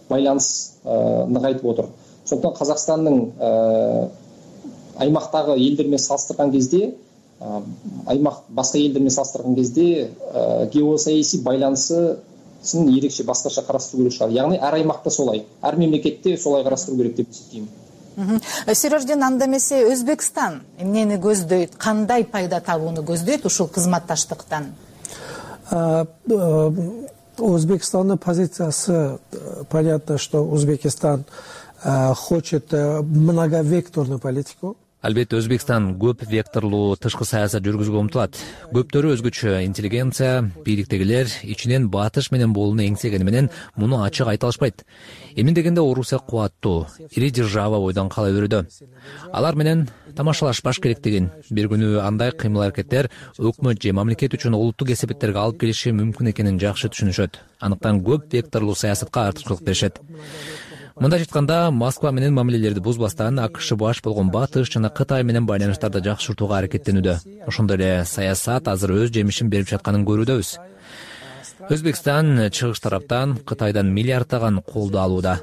байланыс нығайтып отыр. Сондықтан Қазақстанның аймақтағы елдермен салыстырған кезде, аймақ басқа елдермен салыстырған кезде геосаяси байланысын ерекше басқаша қарастыру керек шығар. Яғни әр аймақта солай, әр мемлекетте солай қарастыру керек деп есептеймін. Сирождин, анда эмесе Өзбекстан эмнени көздөйт, кандай пайда табууну көздөйт ушул кызматташтыктан? Узбекистанның позициясы, понятно, что Узбекистан хочет многовекторную политику. Албетте Өзбекстан көп векторлуу тышкы саясат жүргүзүүгө умтулат. Көптөрү өзгөчө интеллигенция, бийликтегилер ичинен Батыш менен болууну эңсегени менен муну ачык айта алышпайт. Эмне дегенде Орусия кубаттуу, ири держава бойдон кала берүүдө. Алар менен тамашалашпаш керек деген. Бир күнү андай кыймыл-аракеттер өкмөт же мамлекет үчүн олуттук эсепеттерге алып келиши мүмкүн экенин жакшы түшүнүшөт. Андыктан көп векторлуу саясатка артыкчылык беришет. Мындай айтканда, Москва менен мамилелерди бузбастан АКШ баш болгон Батыш жана Кытай менен байланыштарды жакшыртууга аракеттенүүдө. Ошондой эле саясат азыр өз жемишин берип жатканын көрүүдөбүз. Өзбекстан чыгыш тараптан Кытайдан миллиарддаган колду алууда.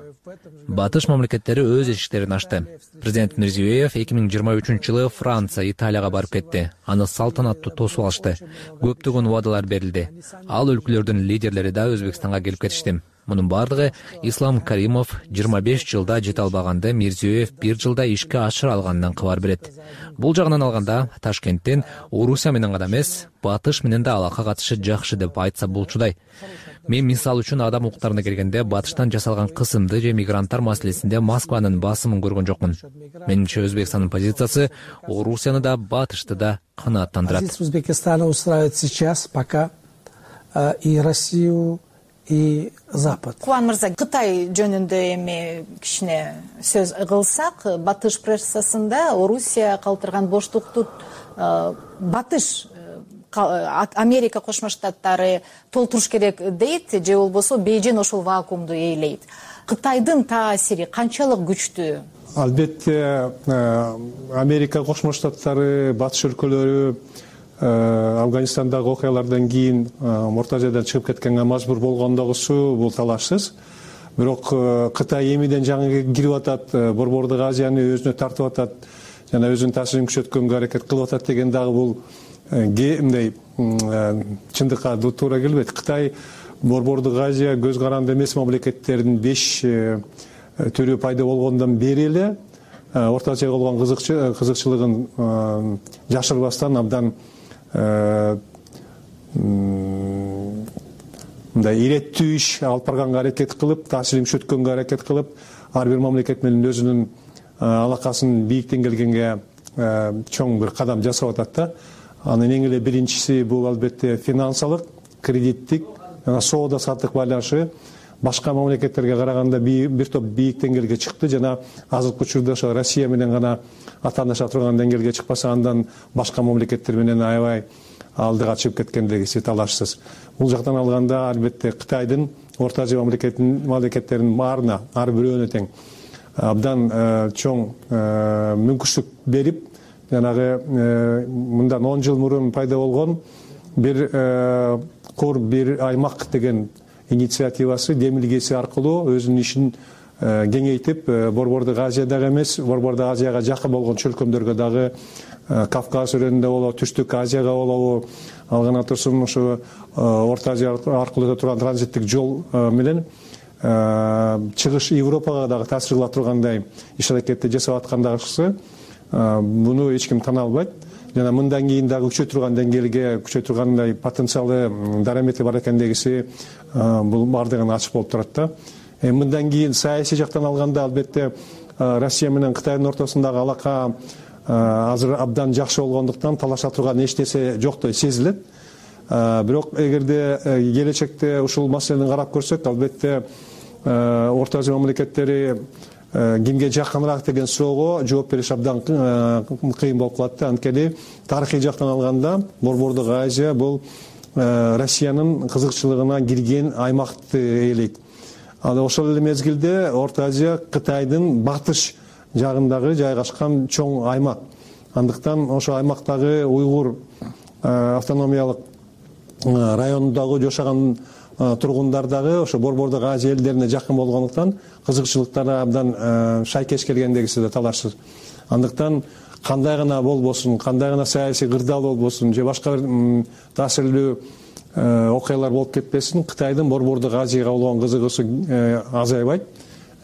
Батыш мамлекеттери өз эшиктерин ачты. Президент Мирзиёев эки миң жыйырма үчүнчү жылы Франция, Италияга барып кетти. Аны салтанаттуу тосуп алышты. Көптөгөн убадалар берилди. Ал өлкөлөрдүн лидерлери да Өзбекстанга келип кетишти. Мунун бардыгы Ислам Каримов жыйырма беш жылда жете албаганды Мирзиёев бир жылда ишке ашыра алганынан кабар берет. Бул жагынан алганда Ташкенттен Орусия менен гана эмес, Батыш менен да алака катышы жакшы деп айтса болчудай. Мен мисал үчүн адам укуктарына келгенде Батыштан жасалган кысымды же мигранттар маселесинде Москванын басымын көргөн жокмун. Менимче Өзбекстандын позициясы Орусияны да Батышты да канааттандырат. Узбекистана устраивает сейчас пока и Россию, и Запад. Кубан мырза, Кытай жөнүндө эми кичине сөз кылсак, Батыш прессасында Орусия калтырган боштукту Батыш Америка Кошмо Штаттары толтуруш керек дейт, же болбосо Бейжин ошол вакуумду ээлейт. Кытайдын таасири канчалык күчтүү? Албетте Америка Кошмо Штаттары, Батыш өлкөлөрү Афганистандагы окуялардан кийин Орто Азиядан чыгып кеткенге мажбур болгондогусу бул талашсыз. Бирок Кытай эмиден жаңы кирип атат, Борбордук Азияны өзүнө тартып атат, жана өзүнүн таасирин күчөткөнгө аракет кылып атат деген дагы бул мындай чындыкка туура келбейт. Кытай Борбордук Азия көз каранды эмес мамлекеттердин беш түрү пайда болгондон бери эле Орто Азияга болгон кызыкчылыгын жашырбастан абдан мындай иреттүү иш алып барганга аракет кылып, таасирин күчөткөнгө аракет кылып, ар бир мамлекет менен өзүнүн алакасын бийиктен келгенге чоң бир кадам жасап атат да. Анын эң эле биринчиси бул албетте финансылык, кредиттик жана соода саттык байланышы башка мамлекеттерге караганда бир топ бийиктен деңгээлге чыкты жана азыркы учурда ошо Россия менен гана атааныша турган деңгээлге чыкпаса, андан башка мамлекеттер менен аябай алдыга чыгып кеткендиги талашсыз. Бул жактан алганда албетте Кытайдын Орто Азия мамлекеттеринин баарына, ар бирөөнө тең абдан чоң мүмкүнчүлүк берип, жанагы мындан он жыл мурун пайда болгон бир кор бир аймак деген инициативасы демилгеси аркылуу өзүнүн ишин кеңейтип Борбордук Азия дагы эмес, Борбордук Азияга жакын болгон чөлкөмдөргө дагы, Кавказ өрөөнүндө болобу, Түштүк Азияга болобу, ал гана турсун ушу Орто Азия аркылуу өтө турган транзиттик жол менен чыгыш Европага дагы таасир кыла тургандай иш аракетти жасап аткандагысы буну эч ким тана албайт. Жана мындан кийин дагы күчөй турган деңгээлге, күчөй тургандай потенциалы, дарамети бар экендигиси бул бардыгына ачык болуп турат да. Мындан кийин саясий жактан алганда албетте Россия менен Кытайдын ортосундагы алака азыр абдан жакшы болгондуктан талаша турган эч нерсе жоктой сезилет. Бирок эгерде келечекте ушул маселени карап көрсөк, албетте Орто Азия мамлекеттери кимге жакыныраак деген суроого жооп бериш абдан кыйын болуп калат да. Анткени тарыхый жактан алганда Борбордук Азия бул Россиянын кызыкчылыгына кирген аймакты ээлейт. Ал ошол эле мезгилде Орто Азия Кытайдын батыш жагындагы жайгашкан чоң аймак. Андыктан ошо аймактагы уйгур автономиялык районундагы жашаган тургундар дагы ошо Борбордук Азия элдерине жакын болгондуктан кызыкчылыктары абдан шайкеш келгендегиси да талашсыз. Андыктан кандай гана болбосун, кандай гана саясий кырдаал болбосун же башка бир таасирлүү окуялар болуп кетпесин, Кытайдын Борбордук Азияга болгон кызыгуусу азайбайт,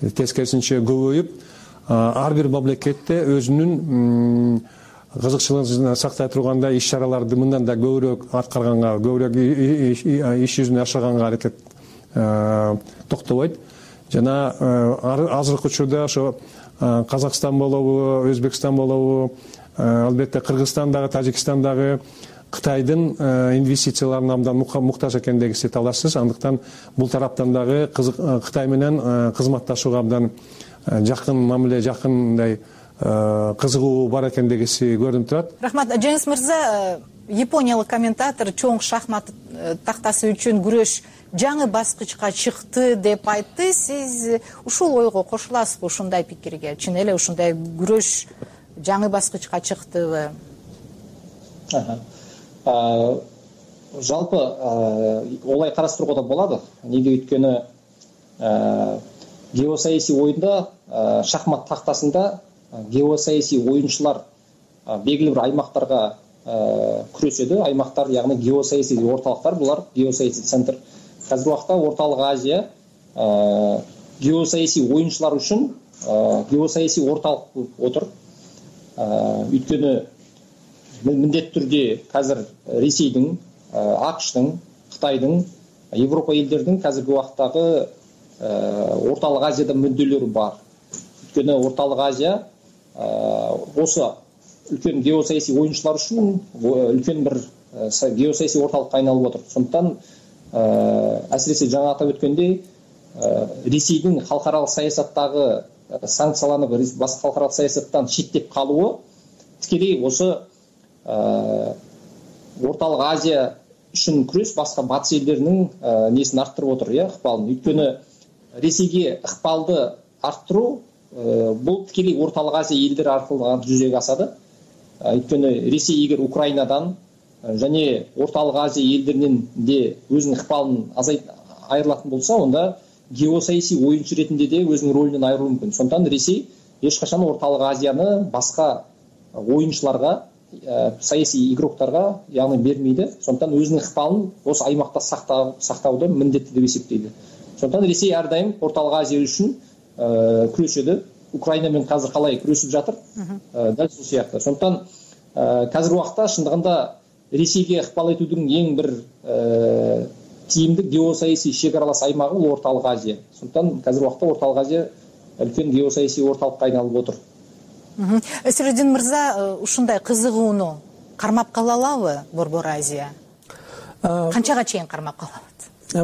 тескерисинче көбөйүп, ар бир мамлекетте өзүнүн кызыкчылыгын сактай тургандай иш чараларды мындан да көбүрөөк аткарганга, көбүрөөк иш жүзүнө ашырганга аракет токтобойт. Жана азыркы учурда ошо Казакстан болобу, Өзбекстан болобу, албетте Кыргызстан дагы, Тажикстан дагы Кытайдын инвестицияларына абдан муктаж экендигиси талашсыз. Андыктан бул тараптан дагы Кытай менен кызматташууга абдан жакын мамиле, жакындай кызыгуу бар экендигиси көрүнүп турат. Рахмат. Жеңис мырза, япониялык комментатор чоң шахмат тактасы үчүн күрөш жаңы баскычка чыкты деп айтты. Сиз ушул ойго кошуласызбы, ушундай пикирге? Чын эле ушундай күрөш жаңы баскычка чыктыбы? Жалпы олай карастырууга да болот. Неге өйткөнү геосаясий оюнда, шахмат тактасында геосаясий оюнчулар белгилүү бир аймактарга күрөшөдү. Аймактар, ягни геосаясий орталыктар, булар геосаясий центр. Азыр убакта Ортолук Азия геосаясий оюнчулар үчүн геосаясий орталык болуп отур. Өйткөнү міндетті түрде қазір Ресейдің, ақштың, Қытайдың, Европа елдердің қазіргі уақыттағы Орталық Азияда мүдделері бар. Өйткені Орталық Азия осы үлкен геосаясий ойыншылар үшін үлкен бір геосаясий орталыққа айналып отыр. Сондықтан әсіресе жаңа атап өткендей Ресейдің халықаралық саясаттағы санкцияланып, басқа халықаралық саясаттан шеттеп қалуы тікелей осы Орталық Азия үшін күрес басқа батыс елдерінің несін арттырып отыр, иә, ықпалын. Өйткені Ресейге ықпалды арттыру бұл тікелей Орталық Азия елдері арқылы жүзеге асады. Өйткені Ресей егер Украинадан және Орталық Азия елдерінен де өзінің ықпалын айырылатын болса, онда геосаяси ойыншы ретінде де өзінің рөлінен айырылуы мүмкін. Сондықтан Ресей ешқашан Орталық Азияны басқа ойыншыларға, саяси игроктарға яғни бермейді. Сондықтан өзінің ықпалын осы аймақта сақтауды міндетті деп есептейді. Сондықтан Ресей әрдайым Орталық Азия үшін күреседі. Украинамен қазір қалай күресіп жатыр? Дәл сол сияқты. Сондықтан қазір уақытта шындығында Ресейге ықпал етудің ең бір тиімді геосаяси шекаралас аймағы ол Орталық Азия. Сондықтан қазір уақытта Орталық Азия үлкен геосаяси орталыққа айналып отыр. Сироджин мырза, ушундай кызыгууну кармап кала алабы Борбор Азия? Канчага чейин кармап калат?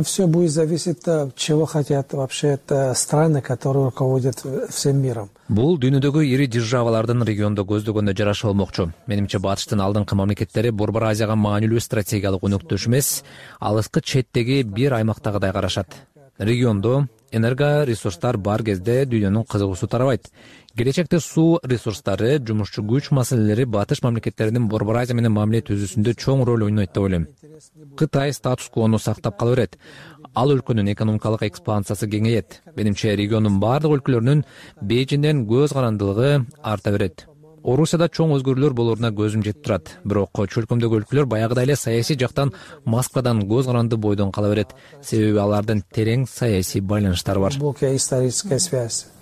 Все будет зависеть от чего хотят вообще страны, которые руководят всем миром. Бул дүйнөдөгү ири державалардын региондо көздөгөндөй жараша болмокчу. Менимче батыштын алдыңкы мамлекеттери Борбор Азияга маанилүү стратегиялык өнөктөш эмес, алыскы четтеги бир аймактагыдай карашат. Региондо энерго ресурстар бар кезде дүйнөнүн кызыгуусу тарабайт. Келечекте суу ресурстары, жумушчу күч маселелери батыш мамлекеттеринин Борбор Азия менен мамиле түзүүсүндө чоң роль ойнойт деп ойлойм. Кытай статус-квону сактап кала берет. Ал өлкөнүн экономикалык экспансиясы кеңейет. Менимче региондун бардык өлкөлөрүнүн Бейжиңден көз карандылыгы арта берет. Орусияда чоң өзгөрүүлөр болоруна көзүм жетип турат. Бирок чөлкөмдөгү өлкөлөр баягыдай эле саясий жактан Москвадан көз каранды бойдон кала берет. Себеби алардын терең саясий байланыштары бар.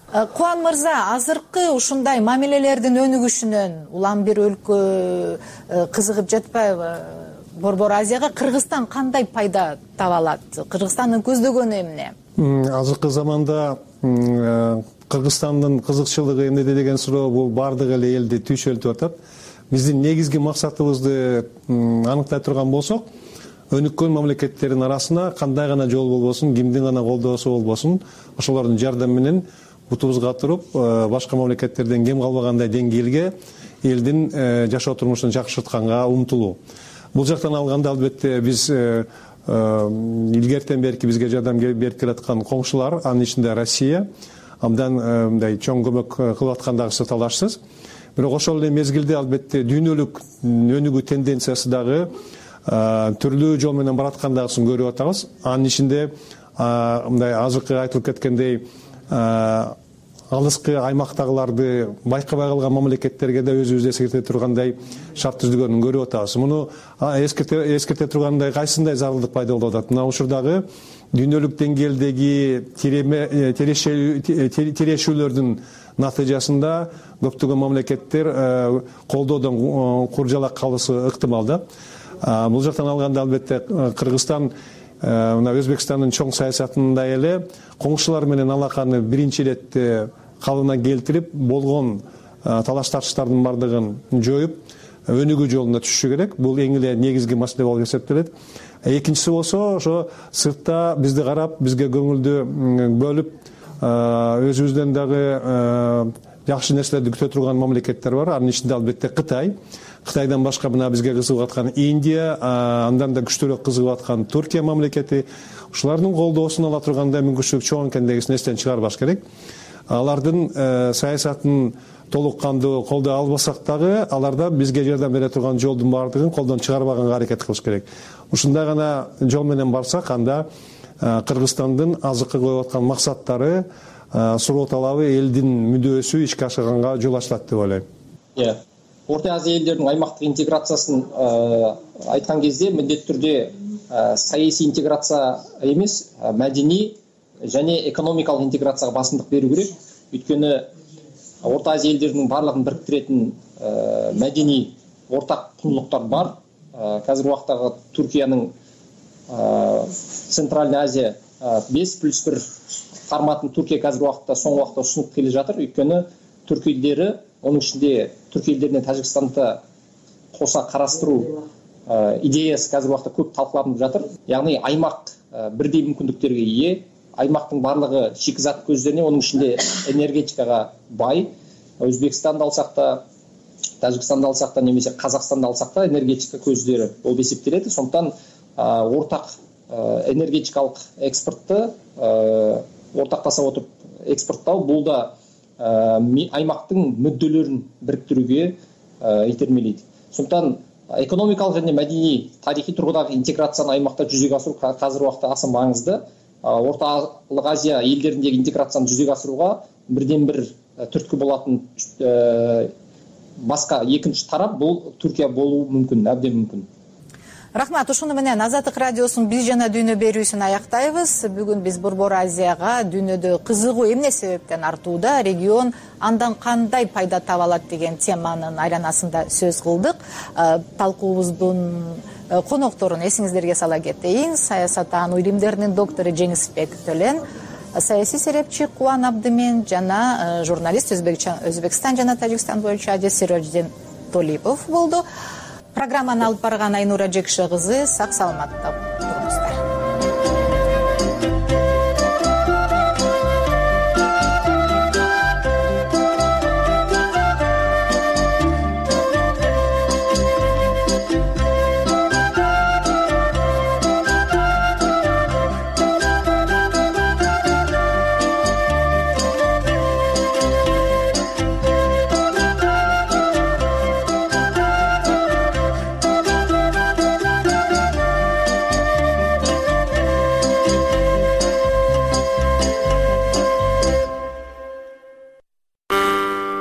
Кубан мырза, азыркы ушундай мамилелердин өнүгүшүнөн улам бир өлкө кызыгып жатпайбы? Борбор Азияга Кыргызстан кандай пайда таба алат? Кыргызстандын көздөгөнү эмне? Азыркы заманда Кыргызстандын кызыкчылыгы эмнеде деген суроо бул бардык эле элди түйшөлтүп атат. Биздин негизги максатыбызды аныктай турган болсок, өнүккөн мамлекеттердин арасына кандай гана жол болбосун, кимдин гана колдоосу болбосун, ошолордун жардамы менен бутубузга туруп, башка мамлекеттерден кем калбагандай деңгээлге элдин жашоо турмушун жакшыртканга умтулуу. Бул жактан алганда албетте биз илгертен берки бизге жардам берип келаткан коңшулар, анын ичинде Россия, абдан мындай чоң көмөк кылып аткандагысы талашсыз. Бирок ошол эле мезгилде албетте дүйнөлүк өнүгүү тенденциясы дагы түрлүү жол менен бараткандагысын көрүп атабыз. Анын ичинде мындай азыркы айтылып кеткендей алыскы аймактагыларды байкабай калган мамлекеттерге да өзүбүз эскерте тургандай шарт түзүлгөнүн көрүп атабыз. Муну эскерте эскерте тургандай кайсындай зарылдык пайда болуп атат? Мына ушурдагы дүйнөлүк деңгээлдеги тирешүүлөрдүн натыйжасында көптөгөн мамлекеттер колдоодон куржалак калышы ыктымал да. Бул жактан алганда албетте Кыргызстан мына Өзбекстандын чоң саясатында эле коңшулар менен алаканы биринчи иретте калыбына келтирип, болгон талаш тартыштардын бардыгын жоюп, өнүгүү жолуна түшүшү керек. Бул эң эле негизги маселе болуп эсептелет. Экинчиси болсо, ошо сыртта бизди карап, бизге көңүлдү бөлүп, өзүбүздөн дагы жакшы нерселерди күтө турган мамлекеттер бар. Анын ичинде албетте Кытай. Кытайдан башка мына бизге кызыгып аткан Индия, андан да күчтүүрөөк кызыгып аткан Туркия мамлекети. Ушулардын колдоосун ала тургандай мүмкүнчүлүк чоң экендигин эстен чыгарбаш керек. Алардын саясатын толук кандуу колдой албасак дагы, аларда бизге жардам бере турган жолдун бардыгын колдон чыгарбаганга аракет кылыш керек. Ушундай гана жол менен барсак, анда Кыргызстандын азыркы коюп аткан максаттары, суроо талабы, элдин мүдөөсү ишке ашырганга жол ачылат деп ойлойм. Иә. Орта Азия элдеринин аймактык интеграциясын айткан кезде міндетті түрде саясий интеграция эмес, мәдени және экономикалык интеграцияга басымдык берүү керек. Өйткөнү Орта Азия элдеринин барлыгын бириктиретін мәдени ортак кундулуктар бар. Қазір убактагы Түркиянын Центральный Азия беш плюс бир форматын Түркия қазір убакта соңку убакта сунуп келе жатыр. Өйткөнү түрк элдери, onun içinde Türk ellerine Tacikistanda kosa karastırуу идеясы қазір уақытта көп талқыланып жатыр. Яғни аймақ бірдей мүмкіндіктерге ие, аймақтың барлығы шикізат көздеріне, оның ішінде энергетикаға бай. Өзбекстанды алсақ та, Тәжікстанды алсақ та, немесе Қазақстанды алсақ та энергетика көздері болып есептеледі. Сондықтан ортақ энергетикалық экспортты ортақтаса отырып экспорттау, бұл да аймақтың мүдделерін біріктіруге итермелейді. Сондықтан экономикалық және мәдени тарихи тұрғыдағы интеграцияны аймақта жүзеге асыру қазір уақытта аса маңызды. Орталық Азия елдеріндегі интеграцияны жүзеге асыруға бірден бір түрткі болатын басқа екінші тарап бұл Түркия болуы мүмкін, әбден мүмкін. Рахмат, ушуну менен Азаттык радиосунун биз жана дүйнө берүүсүн аяктайбыз. Бүгүн биз Борбор Азияга дүйнөдө кызыгуу эмне себептен артууда, регион андан кандай пайда таба алат деген теманын айланасында сөз кылдык. Талкуубуздун конокторун эсиңиздерге сала кетейин. Саясаттануу илимдеринин доктору Жеңисбек Төлен, саясий серепчи Кубан Абдымен жана журналист Өзбекстан жана Тажикстан боюнча Адис Сироджидин Толипов болду. Программаны алып барган Айнура Жекше кызы сак саламатта.